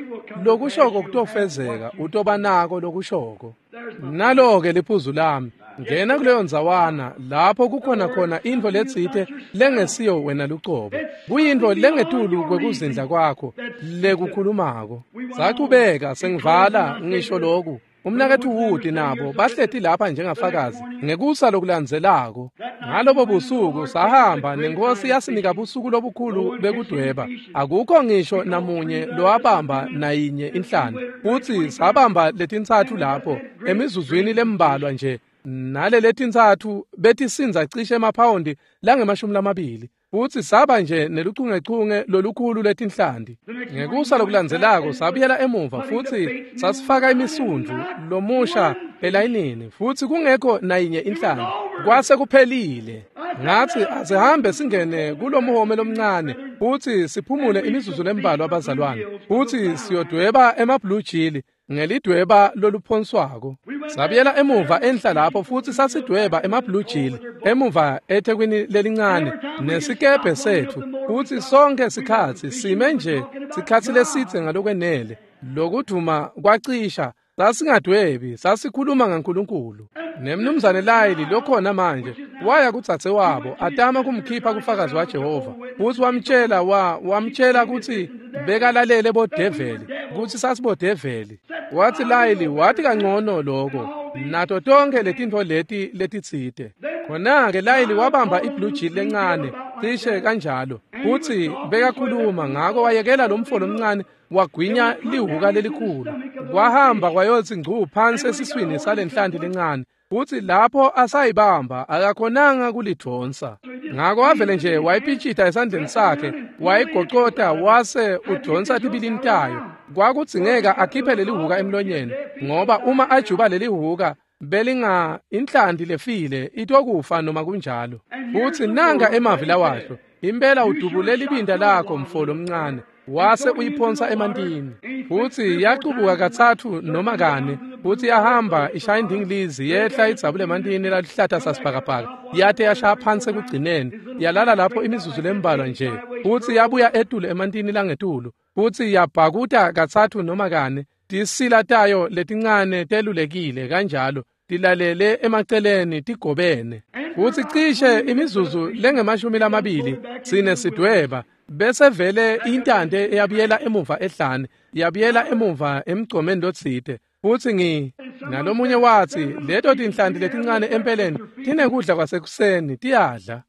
Speaker 1: lokushoko kutofezeka, utoba nako lokushoko. Nalo-ke liphuzu lami. Ngena kuleyo ndzawana lapho kukhona khona intfo letsite lengesiyo wena lucobo. Kuyintfo lengetulu kwekuzindla kwakho lekukhulumako. Sachubeka sengivala ngisho loku. Umnaketfu Wood nabo bahleti lapha njengafakazi ngekusa lokulandzelako. Ngalobo busuku sahamba nenkosi yasinika busuku lobukhulu bekudweba. Akukho ngisho namunye lowabamba nayinye inhlanti. Futsi sabamba letintsatfu lapho emizuzwini lembalwa nje. Nale letintsatfu betisindza cishe emaphawundi langemashumi lamabili. Futsi saba nje neluchungechunge lolukhulu letinhlanti. Ngekusa lokulandzelako sabuyela emuva futsi sasifaka imisundvu lomusha elayinini futsi kungekho nayinye inhlanti. Kwase kuphelile. Ngathi asihambe singene kulomhome lomncane futsi siphumule imizuzu lembalwa abazalwane. Futsi siyodweba ema-blue jili ngelidweba loluphonswako. Sabuyela emuva enhla lapho futsi sasidweba ema-blue jili emuva ethekwini lelincane nesikebhe setfu. Futsi sonke sikhatsi sime nje sikhatsi lesitse ngalokwenele. Lokudvuma kwacisha. Sasingadwebi, sasikhuluma ngaNkulunkulu. Nemnumzane Layili lokhona manje waya kudzadze wabo atama kumkhipha kufakazi waJehova. Futsi wamtshela wa wamtshela kutsi bekalalele bodeveli, kutsi sasibodeveli. Wathi Layili wathi kangcono lokho nato tonke letintfo leti letitsite. Khona-ke Layili wabamba i-blue jili lencane cishe kanjalo. Futsi bekakhuluma ngako wayekela lo mfo lomncane wagwinya lihuka lelikhulu. Kwahamba kwayotsi ngcu phansi esiswini salenhlanti lencane. Futsi lapho asayibamba akakhonanga kulidvonsa. Ngako wavele nje wayipitshita esandleni sakhe, wayigocota wase udvonsa tibilini tayo. Kwakudzingeka akhiphe lelihuka emlonyeni ngoba uma ajuba lelihuka belinga inhlanti lefile itokufa noma kunjalo. Futsi nanga emavi lawasho, impela udubule libinda lakho mfo lomncane. Wase uyiphonsa emantini. Futsi yacubuka katsatfu noma kane. Futsi yahamba ishaya indingilizi yehla idzabule emantini laluhlata sasibhakabhaka. Yate yashaya phansi ekugcineni. Yalala lapho imizuzu lembalwa nje. Futsi yabuya etulu emantini langetulu. Futsi yabhakuta katsatfu noma kane. Tisila tayo letincane telulekile kanjalo tilalele emaceleni tigobene. Futsi cishe imizuzu lengemashumi lamabili sine sidweba. Bese vele intante yabuyela emuva ehlane, yabuyela emuva emgcomeni lotsite. Futsi ngi nalomunye watsi leto tinhlanti letincane empeleni tinekudla kwasekuseni tiyadla.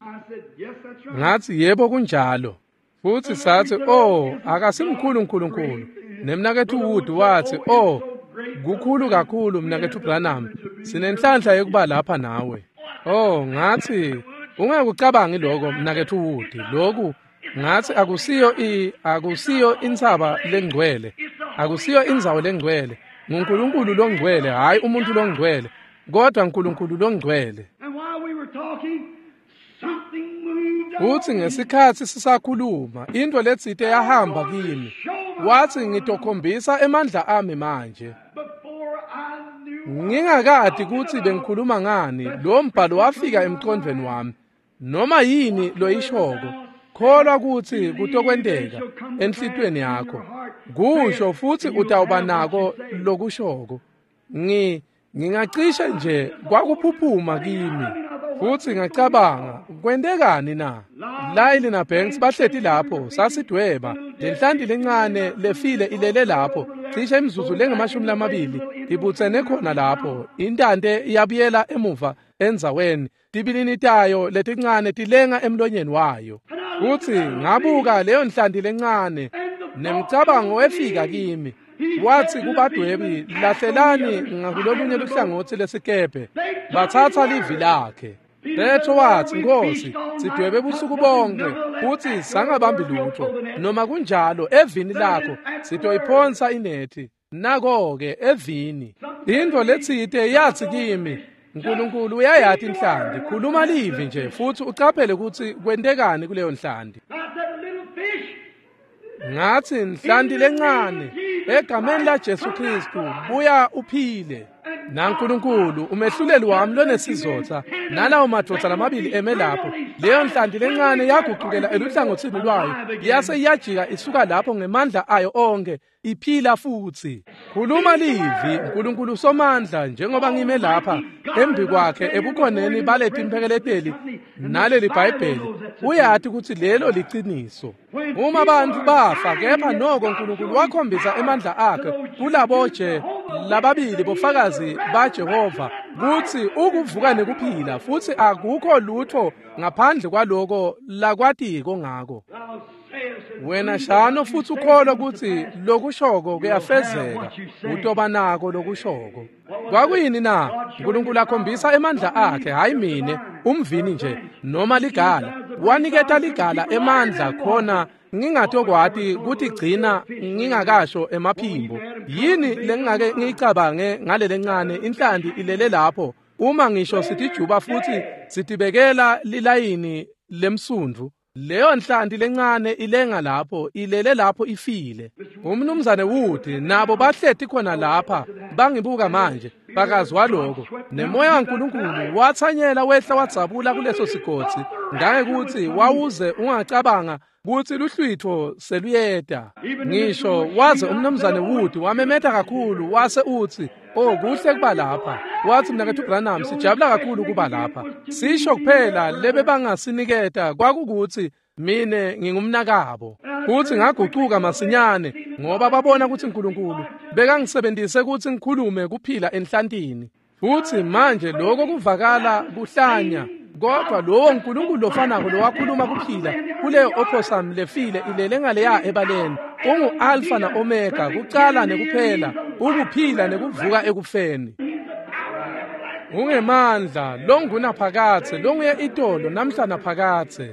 Speaker 1: Ngathi yebo kunjalo. Futsi sathi oh akasimkhulu uNkulunkulu. Nemnaketfu Wood wathi oh kukhulu kakhulu mnaketfu Branham, sinenhlanhla yokuba lapha nawe. Oh ngathi ungakucabangi lokho mnaketfu Wood, lokhu ngathi akusiyo i akusiyo intsaba lengcwele, akusiyo indzawo lengcwele. NguNkulunkulu longcwele, hayi umuntu longcwele, kodwa uNkulunkulu longcwele. Futsi ngesikhatsi sisakhuluma intfo letsite yahamba kimi. Wathi ngitokhombisa emandla ami manje. Ngingakati kutsi bengikhuluma ngani, lo mbhalo wafika emqondweni wami. Noma yini loyishoko, kholwa kutsi kutokwenteka enhlitiyweni yakho. Kusho futsi utawuba nako lokushoko. Ngi ngingacishe nje kwakuphuphuma kimi. Futsi ngacabanga, kwentekani na? Layili na Banks bahleti lapho, sasidweba. Lenhlanti lencane lefile ilele lapho, cishe imizuzu lengamashumi lamabili ibutsene khona lapho. Intante iyabuyela emuva endzaweni, tibilini tayo letincane tilenga emlonyeni wayo. Futsi ngabuka leyo nhlanti lencane, nemcabango wefika kimi. Wathi kubadwebi, lahlelani ngakulolunye luhlangotsi lesikebhe. Batsatsa livi lakhe. Petro wathi, Nkosi, sidwebe busuku bonke futsi sangabambi lutho. Noma kunjalo evini lakho sitoyiphonsa inethi. Nako-ke evini. Intfo letsite yathi kimi, uNkulunkulu uyayati inhlanti, khuluma livi nje futsi ucaphele kutsi kwentekani kuleyo nhlanti. Ngathi nhlanti lencane, egameni la Jesu Kristu, buya uphile. NaNkulunkulu umehluleli wami lonesizotha nalawo madvodza lamabili eme lapho, leyo nhlanti lencane yagucukela eluhlangothini lwayo yase iyajika isuka lapho ngemandla ayo onke iphila futhi. Khuluma livi Nkulunkulu somandla, njengoba ngime lapha embi kwakhe ebukhoneni baleti imphekeleteli naleli Bhayibheli, uyati ukuthi lelo liciniso. Uma abantu bafa, kepha noko Nkulunkulu wakhombisa emandla akhe kulaboje lababili bofakazi baJehova kutsi ukuvuka nekuphila, futhi akukho lutho ngaphandle kwaloko lakwatiko ngako. Wena shano futhi ukholwa ukuthi lokushoko kuyafezeka, utoba nako lokushoko. Kwakuyini na? Nkulunkulu akhombisa emandla akhe, hayi mine umvini nje noma ligala. Waniketa ligala emandla khona ngingatokwati kutigcina ngingakasho emaphimbo. Yini lengingake ngiyicabange ngalele ncane inhlanti ilele lapho uma ngisho sitijuba futhi sitibekela lilayini lemsundvu? Leyo nhlanti lencane ilenga lapho, ilele lapho ifile. Umnumzane Wood nabo bahleti khona lapha bangibuka manje, bakazwa lokho. Nemoya kaNkulunkulu wathanyela wehla wadzabula kuleso sigodzi ngangekuthi wawuze ungacabanga kutsi luhlwitho seluyeta. Ngisho waze umnumzane Wood wamemeta kakhulu wase utsi, "Oh, kuhle kuba lapha." Wathi, "Mnaketfu Branham, sijabula kakhulu kuba lapha." Sisho kuphela lebe bangasiniketa kwakukuthi mine ngingumnakabo. Futhi ngagucuka masinyane ngoba babona ukuthi uNkulunkulu bekangisebenzise ukuthi ngikhulume kuphila enhlantini. Futhi manje lokho kuvakala kuhlanya, kodwa lowo uNkulunkulu lofanako lowakhuluma kuphila kuleyo opossum lefile ilele ngaleya ebaleni, ungu-Alpha na-Omega, kucala nekuphela, ukuphila nekuvuka ekufeni. Ungemandla longunaphakadze, longuye itolo namhla naphakadze.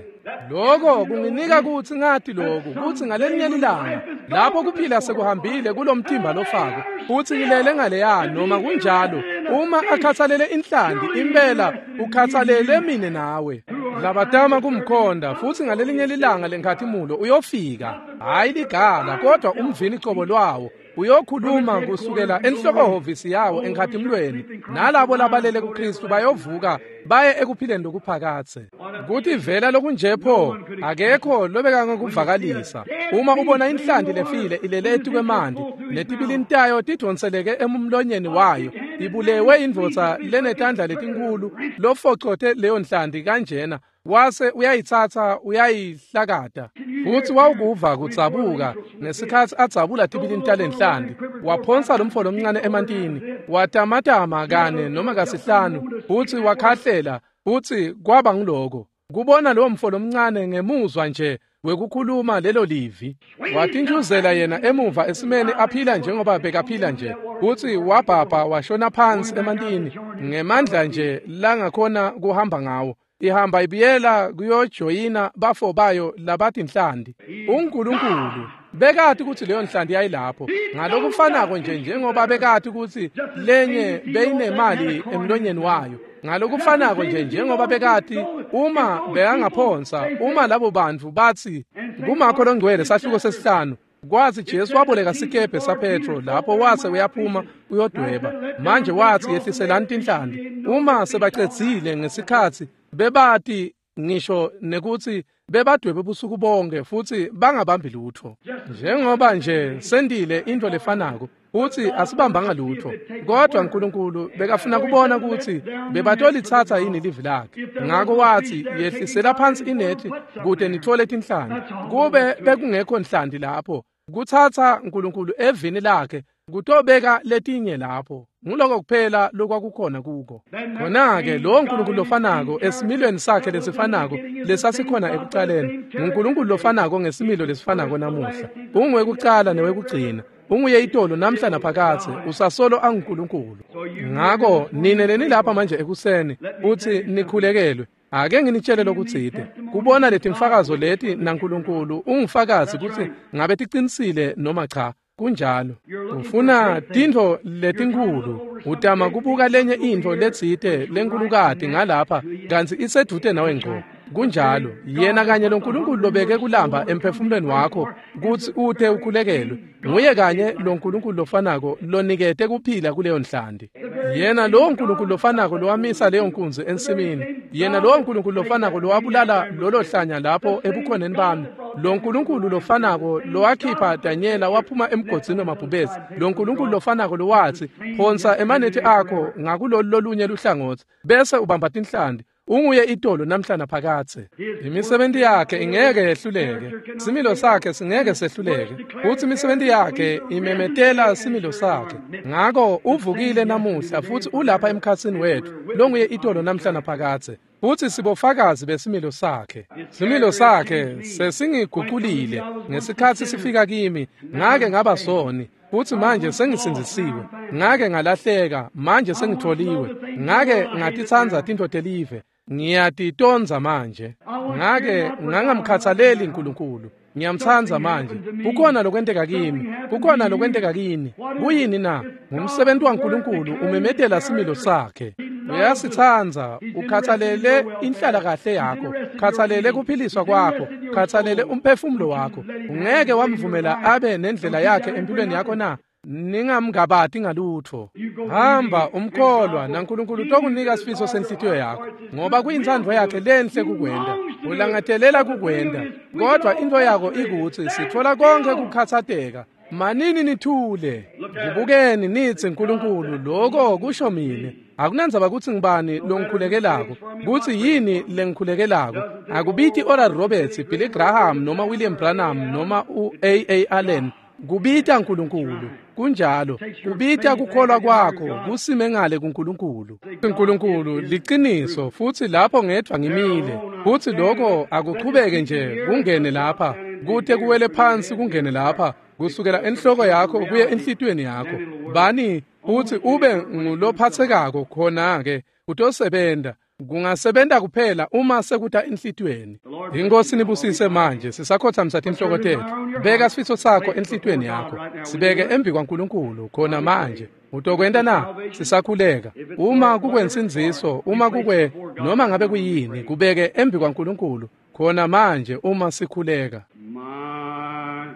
Speaker 1: Lokho kunginika kutsi ngati lokhu, kutsi ngalelinye ilanga lapho kuphila sekuhambile kulomtimba lofako, futsi ngilele ngaleya, noma kunjalo uma akhathalele inhlanti impela ukhathalele mine nawe. Labatama kumkhonda, futhi ngalelinye ilanga lenkhatimulo uyofika, hayi ligala kodwa umvini cobo lwawo uyokhuluma kusukela enhlokohhovisi yawo enkhatimulweni, nalabo labalele kuKristu bayovuka baye ekuphileni lokuphakadze. Kuthi vela lokunje pho akekho lobekangekuvakalisa. Uma ubona inhlanti lefile ilele etikwemanti netibilini tayo tidonseleke emlonyeni wayo, ibulewe indvodza lenetandla letinkulu lofocote leyo nhlanti kanjena, wase uyayitsatsa uyayihlakata. Futhi wawukuva kudzabuka ngesikhatsi adzabula tibilini talenhlanti, waphonsa lomfo lomncane emantini, watamatama kane noma kasihlanu, futhi wakhahlela, futhi kwaba ngiloko. Kubona lowo mfo lomncane ngemuzwa nje wekukhuluma lelo livi, watintshuzela yena emuva esimeni aphila njengoba bekaphila nje, futhi wabhabha washona phansi emantini ngemandla nje langakhona kuhamba ngawo. Ihamba ibiyela kuyojoyina bafo bayo labatinhlanti. UNkulunkulu bekati ukuthi leyo nhlanti yayilapho, ngalokufanako nje njengoba bekati ukuthi lenye beyinemali emlonyeni wayo, ngalokufanako nje njengoba bekati uma bekangaphonsa, uma labo bantu bathi kuMakho longcwele sahluko sesihlanu, kwathi Jesu waboleka sikebhe saPetro lapho wase uyaphuma uyodweba. Manje wathi yehliselani tinhlanti. Uma sebacedzile ngesikhatsi bebati ngisho nekuthi bebadwebe busuku bonke futhi bangabambi lutho, njengoba nje sendile into lefanako uthi asibambanga lutho, kodwa uNkulunkulu bekafuna kubona ukuthi bebatolitsatsa yini livi lakhe. Ngakho wathi yehlisela phansi inethi kude nithole tinhlanti. Kube bekungekho nhlanti lapho, kuthatha uNkulunkulu evini lakhe kutobeka letinye lapho. Nguloko kuphela lokwakukhona kuko. Khona-ke lowo Nkulunkulu lofanako esimilweni sakhe lesifanako lesasikhona ekucaleni, nguNkulunkulu lofanako ngesimilo lesifanako namuhla. Unguwekucala newekugcina, unguye itolo namhla naphakadze, usasolo anguNkulunkulu. Ngako nine lenilapha manje ekuseni uthi nikhulekelwe, ake nginitshele lokutsite. Kubona letimfakazo leti naNkulunkulu ungufakazi kutsi ngabe ticinisile noma cha. Kunjalo. Ufuna tintfo letinkhulu, utama kubuka lenye intfo letsite lenkulukati ngalapha kantsi isedvute nawe ngco. Kunjalo. Yena kanye loNkulunkulu lobeke kulamba emphefumulweni wakho kutsi ute ukhulekelwe, nguye kanye loNkulunkulu lofanako lonikete kuphila kuleyo nhlanti. Yena lowo Nkulunkulu lofanako lowamisa leyo nkunzi ensimini, yena lowo Nkulunkulu lofanako lowabulala lolo hlanya lapho ebukhoneni bami, lo Nkulunkulu lofanako lowakhipha Danyela waphuma emgodzini wemabhubesi, lo Nkulunkulu lofanako lowathi phonsa emanethi akho ngakulolu lolunye luhlangotsi bese ubamba tinhlanti, unguye itolo namhla naphakathe. Imisebenti yakhe ingeke yehluleke, similo sakhe singeke sehluleke, futhi imisebenti yakhe imemetela similo sakhe. Ngako uvukile namuhla futhi ulapha emkhatsini wethu, longuye itolo namhla naphakathe, futhi sibofakazi besimilo sakhe. Similo sakhe sesingiguqulile ngesikhathi sifika kimi, ngake ngaba soni futhi manje sengisindzisiwe, ngake ngalahleka manje sengitholiwe, ngake ngatitsandza tintfo telive, ngiyatitondza manje, ngake ngangamkhathaleli uNkulunkulu, ngiyamtsandza manje. Kukhona lokwenteka kimi, kukhona lokwenteka kini. Kuyini na? Ngumsebenzi waNkulunkulu umemetela similo sakhe. Uyasitsandza, ukhathalele inhlalakahle yakho, khathalele kuphiliswa kwakho, khathalele umphefumulo wakho. Ungeke wamvumela abe nendlela yakhe empilweni yakho na? Ningamngabati ngalutho. Hamba umkholwa naNkulunkulu utokunika sifiso senhlitiyo yakho, ngoba kuyintsandvo yakhe lenhle kukwenta, ulangatelela kukwenta. Kodwa into yakho ikutsi sitfola konke kukhatsateka. Manini nithule, kubukeni nitsi Nkulunkulu, lokho kusho mine. Akunandzaba kutsi ngibani longikhulekelako, kutsi yini lengikhulekelako. Akubiti Oral Roberts, Billy Graham noma William Branham noma u-A A Allen. Kubita uNkulunkulu. Kunjalo, kubita kukholwa kwakho kusime ngale kuNkulunkulu. uNkulunkulu liqiniso, futhi lapho ngedwa ngimile, futhi lokho akuchubeke nje kungene lapha, kute kuwele phansi kungene lapha, kusukela enhloko yakho kuye enhlitiyweni yakho. Bani futhi ube ngulophathekako, khona ke utosebenta. Kungasebenta kuphela uma sekuta enhlitiyweni. Inkosi nibusise manje sisakhothamisa tinhloko tethu. Beka sifiso sakho enhlitiyweni yakho, sibeke embi kwaNkulunkulu khona manje. Utokwenta na? Sisakhuleka. Uma kukwensindziso, uma kukwe noma ngabe kuyini, kubeke embi kwaNkulunkulu khona manje uma sikhuleka.
Speaker 2: My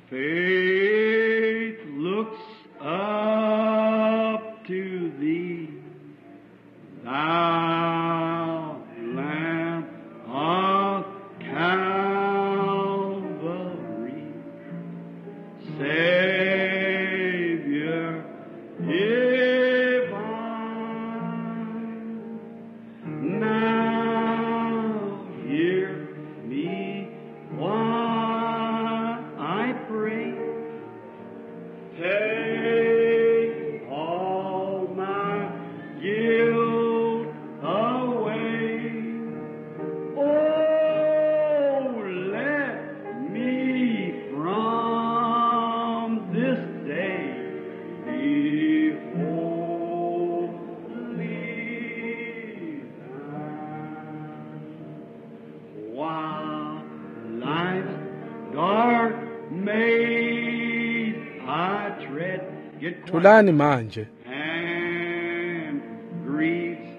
Speaker 2: faith looks up to thee, thou Lamb of Calvary, Savior divine. Now hear me while I pray. Take all my guilt away. Oh, let me from this day be wholly thine. While life's dark maze I tread, get quiet.
Speaker 1: Thulani manje.
Speaker 2: And griefs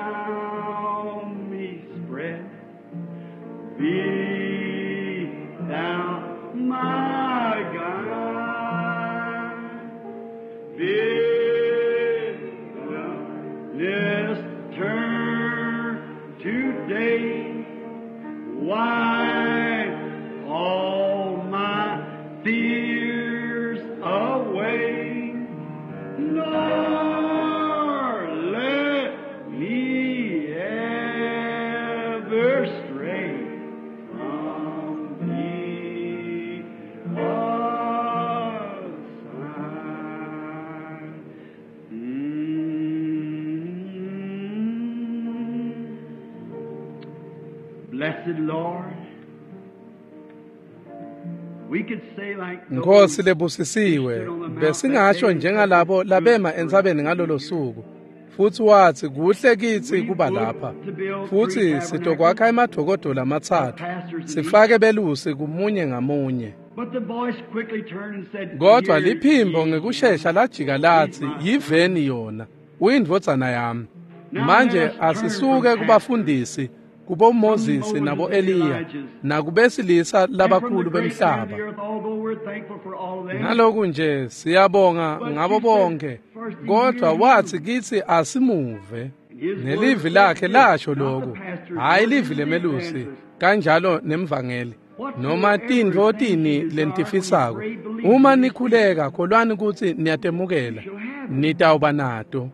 Speaker 2: around me spread. Be thou my guide. Bid this turn today. Wipe all my fears away. Nor let me ever stray from thee aside. Mm. Blessed Lord, we could say like
Speaker 1: Nkosi
Speaker 2: those
Speaker 1: lebusisiwe, besingasho njengalabo labema entsabeni ngalolo suku. Futhi wathi kuhle kithi kuba lapha, futhi sitokwakha emadokodo lamatsatfu, sifake belusi kumunye ngamunye.
Speaker 2: But the voice quickly turned and said,
Speaker 1: Kodwa
Speaker 2: "Hear
Speaker 1: liphimbo
Speaker 2: ye
Speaker 1: ngekushesha lajika lathi, yiveni yona, uyindvodzana yami. Manje asisuke kubafundisi, kubo Moses nabo Eliya, nakubesilisa labakhulu bemhlaba.
Speaker 2: Although we're thankful for all of them,
Speaker 1: Naloku nje siyabonga ngabo bonke, Kodwa wathi kithi asimuve. Nelivi lakhe lasho lokhu, hhayi livi lemelusi, kanjalo nemvangeli. Noma tintfo tini lenitifisako. Uma nikhuleka kholwani kutsi niyatemukela, nitawuba nato.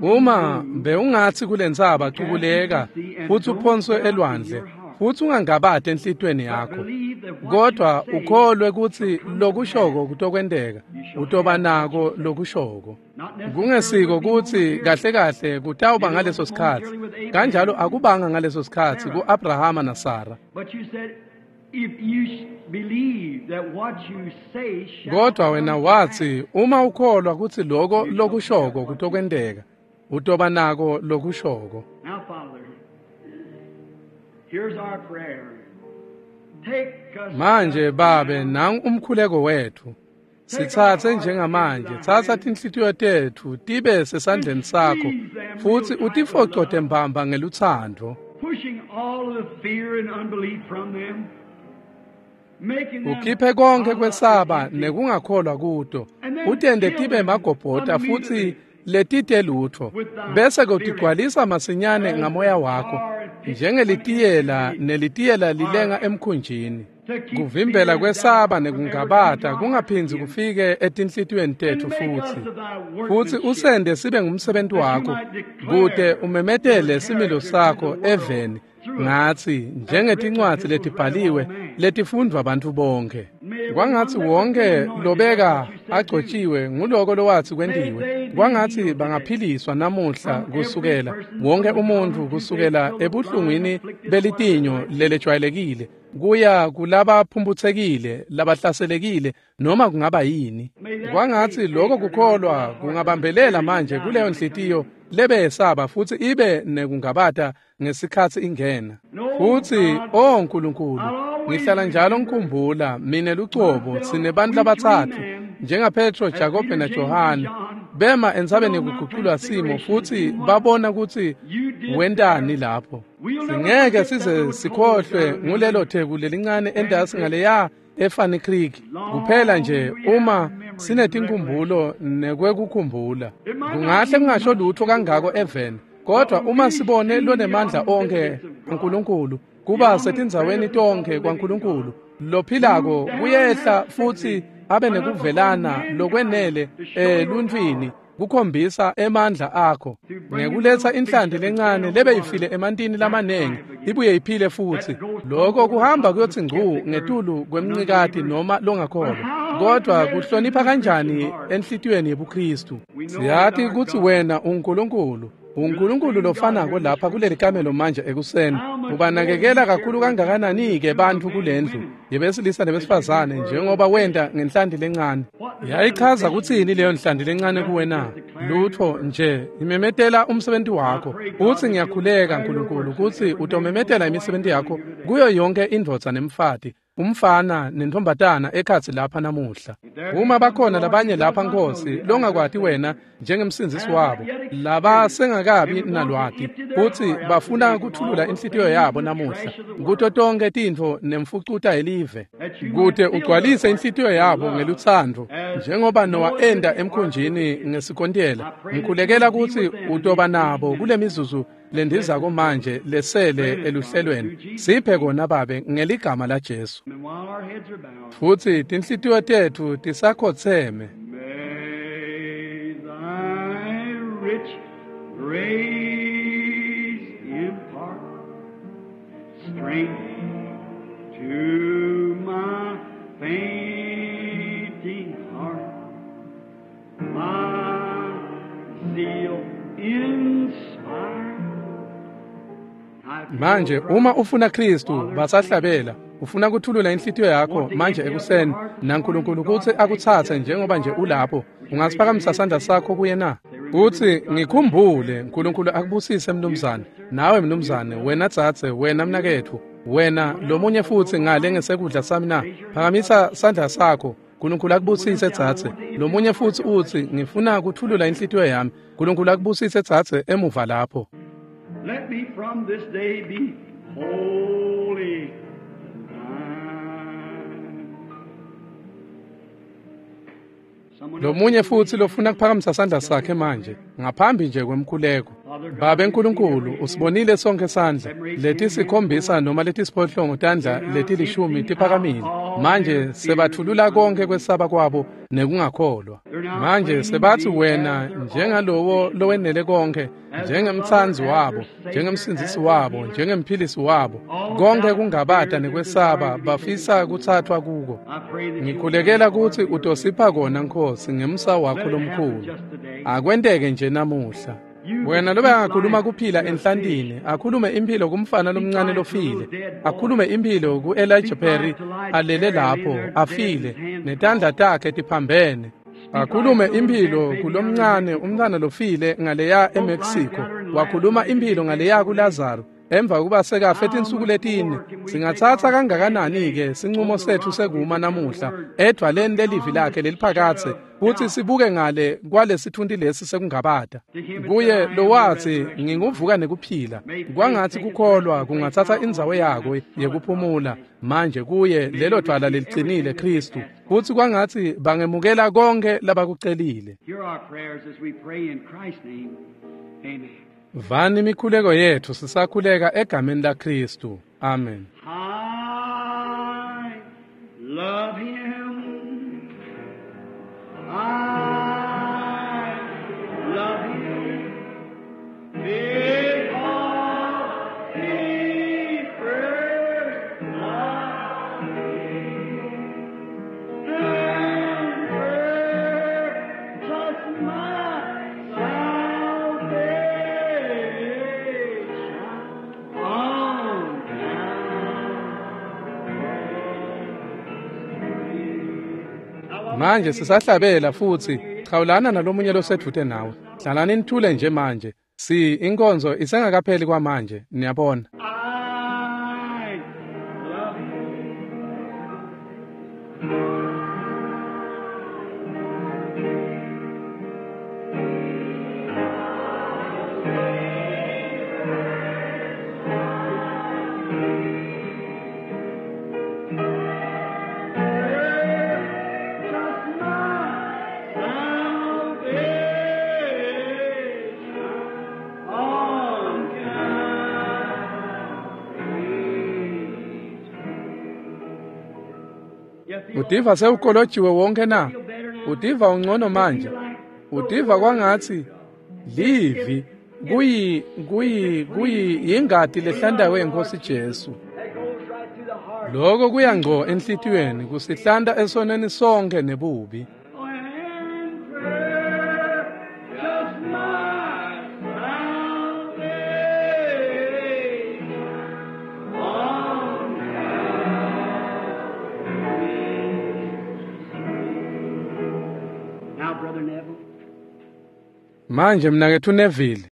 Speaker 1: Uma bewungatsi kulentsaba cukuleka futsi uphonswe elwandle, futsi ungangabati enhlitiyweni yakho, kodwa ukholwe kutsi lokushoko kutokwenteka, utoba nako lokushoko. Kungesiko kutsi kahle kahle kutawuba ngaleso sikhatsi, kanjalo akubanga ngaleso sikhatsi ku-Abrahama naSara. Kodwa wena watsi uma ukholwa kutsi loko lokushoko kutokwenteka, utoba nako lokushoko. Manje Babe, nangu umkhuleko wetfu. Sitsatse njengamanje, tsatsa tinhlitiyo tetfu tibe sesandleni sakho, futsi utifocote mbamba ngelutsandvo. Ukhiphe konke kwesaba nekungakholwa kuto, utente tibe magobhota futsi letite lutfo, bese kutigcwalisa masinyane ngamoya wakho, njengelitiyela nelitiyela lilenga emkhunjini. Kuvimbela kwesaba nekungabata kungaphindzi kufike etinhlitiyweni tetfu futsi. Futsi usende sibe ngumsebenti wakho, kute umemetele similo sakho eveni ngatsi njengetincwadzi letibhaliwe letifundvwa bantfu bonke. Kwangatsi wonke lobeka agcotjiwe nguloko lowatsi kwentiwe. Kwangatsi bangaphiliswa namuhla kusukela wonke umuntfu kusukela ebuhlungwini belitinyo lelejwayelekile kuya kulabaphumputsekile labahlaselekile noma kungaba yini. Kwangatsi lokho kukholwa kungabambelela manje kuleyo nhliziyo lebeyesaba futsi ibe nekungabata ngesikhatsi ingena. Futsi o Nkulunkulu, ngihlala njalo ngikhumbula mine lucobo sinebantfu labatsatfu njengaPetro, Jakobe naJohane bema entsabeni yekuguculwa simo futsi babona kutsi wentani lapho. Singeke size sikhohlwe ngulelo theku lelincane entasi ngaleya eFanny Creek, kuphela nje uma sinetinkhumbulo nekwekukhumbula. Kungahle kungasho lutho kangako eveni, kodwa uma sibone lonemandla onke uNkulunkulu kuba setindzaweni tonke kwaNkulunkulu lophilako kuyehla futsi abe nekuvelana lokwenele eluntwini kukhombisa emandla akho ngekuletsa inhlanti lencane lebeyifile emantini lamanengi ibuye iphile futsi. Lokho kuhamba kuyotsi ngcu ngetulu kwemncikati noma longakholwa, kodwa kuhlonipha kanjani enhlitiyweni yebuKristu. Siyati kutsi wena uNkulunkulu, uNkulunkulu lofanako lapha kuleli kamelo manje ekuseni. Ubanakekela kakhulu kangakanani-ke bantfu kulendlu yebesilisa nebesifazane njengoba wenta ngenhlanti lencane. Yayichaza kutsini leyo nhlanti lencane kuwe na? Lutfo nje, imemetela umsebenzi wakho. Utsi ngiyakhuleka Nkulunkulu kutsi utomemetela imisebenti yakho kuyo yonke indvodza nemfati, umfana nentombatana ekhatsi lapha namuhla. Uma bakhona labanye lapha Nkosi longakwati wena njengemsindzisi wabo, laba sengakabi nalwati futsi bafuna kuthulula inhlitiyo yabo namuhla kuto tonke tintfo nemfucuta yelive, kute ugcwalise inhlitiyo yabo ngelutsandvo njengoba Noah enda emkhunjini ngesikontela. Ngikhulekela kutsi utoba nabo kule mizuzu lendizako manje lesele eluhlelweni. Siphe kona Babe ngeligama la Jesu. Futsi tinhlitiyo tetfu tisakhotseme.
Speaker 2: May thy rich grace impart strength to my fainting heart, my zeal inspire.
Speaker 1: Manje uma ufuna Kristu basahlabela, ufuna kuthulula inhlitiyo yakho manje ekuseni naNkulunkulu kutsi akutsatse njengoba nje ulapho, ungasiphakamisa sandla sakho kuye na? Utsi ngikhumbule. Nkulunkulu akubusise mnumzane, nawe mnumzane, wena dzadze, wena mnaketfu, wena lomunye futsi ngale ngesekudla sami na? Phakamisa sandla sakho. Nkulunkulu akubusise dzadze. Lomunye futsi utsi ngifuna kuthulula inhlitiyo yami. Nkulunkulu akubusise dzadze emuva lapho.
Speaker 2: Let me from this day be holy.
Speaker 1: Lomunye futsi lofuna kuphakamisa sandla sakhe manje ngaphambi nje kwemkhuleko. Babe Nkulunkulu, usibonile sonke sandla letisikhombisa noma letisiphohlongo tandla letilishumi tiphakamile. Manje sebathulula konke kwesaba kwabo nekungakholwa. Manje sebathi wena njengalowo lowenele konke, njengemtsanzi wabo, njengemsindzisi wabo, njengemphilisi wabo, konke kungabata nekwesaba bafisa kuthathwa kuko. Ngikhulekela kutsi utosipha kona Nkosi ngemsa wakho lomkhulu. Akwenteke nje namuhla. Wena lobe angakhuluma kuphila enhlantini, akhulume impilo kumfana lomncane lofile, akhulume impilo ku-Elijah Perry alele lapho afile netandla takhe tiphambene, akhulume impilo kulomncane umntwana lofile ngaleya eMexico, wakhuluma impilo ngaleya kuLazaro emva kuba sekafe tinsuku letine. Singatsatsa kangakanani-ke sincumo setfu sekuma namuhla edvwaleni lelivi lakhe leliphakatse kutsi sibuke ngale kwalesithunti lesi sekungabata. Kuye lowatsi nginguvuka nekuphila, kwangatsi kukholwa kungatsatsa indzawo yako yekuphumula manje kuye lelo dvwala lelicinile Khristu, kutsi kwangatsi bangemukela konke labakucelile. Vani imikhuleko yetfu sisakhuleka egameni laKhristu. Amen.
Speaker 2: I love him. I love him. Because he first loved me and purchased my salvation on Calvary.
Speaker 1: Manje sisahlabela futsi chawulana nalomunye losedvute nawe. Hlalani nithule nje manje. Si inkonzo isengakapheli kwamanje, niyabona.
Speaker 2: I love him. Just my salvation on Calvary. You feel
Speaker 1: Utiva sewukolojiwe wonke na? Utiva ungcono manje? Utiva kwangatsi livi kuyi kuyi kuyi ingati lehlandawe yeNkosi Jesu.
Speaker 2: that goes right through the heart.
Speaker 1: Lokho kuya ngco enhlitiyweni kusihlanta esonweni sonke nebubi.
Speaker 2: And purchased my salvation on Calvary. Now, Brother Neville.
Speaker 1: Manje mnaketfu Neville.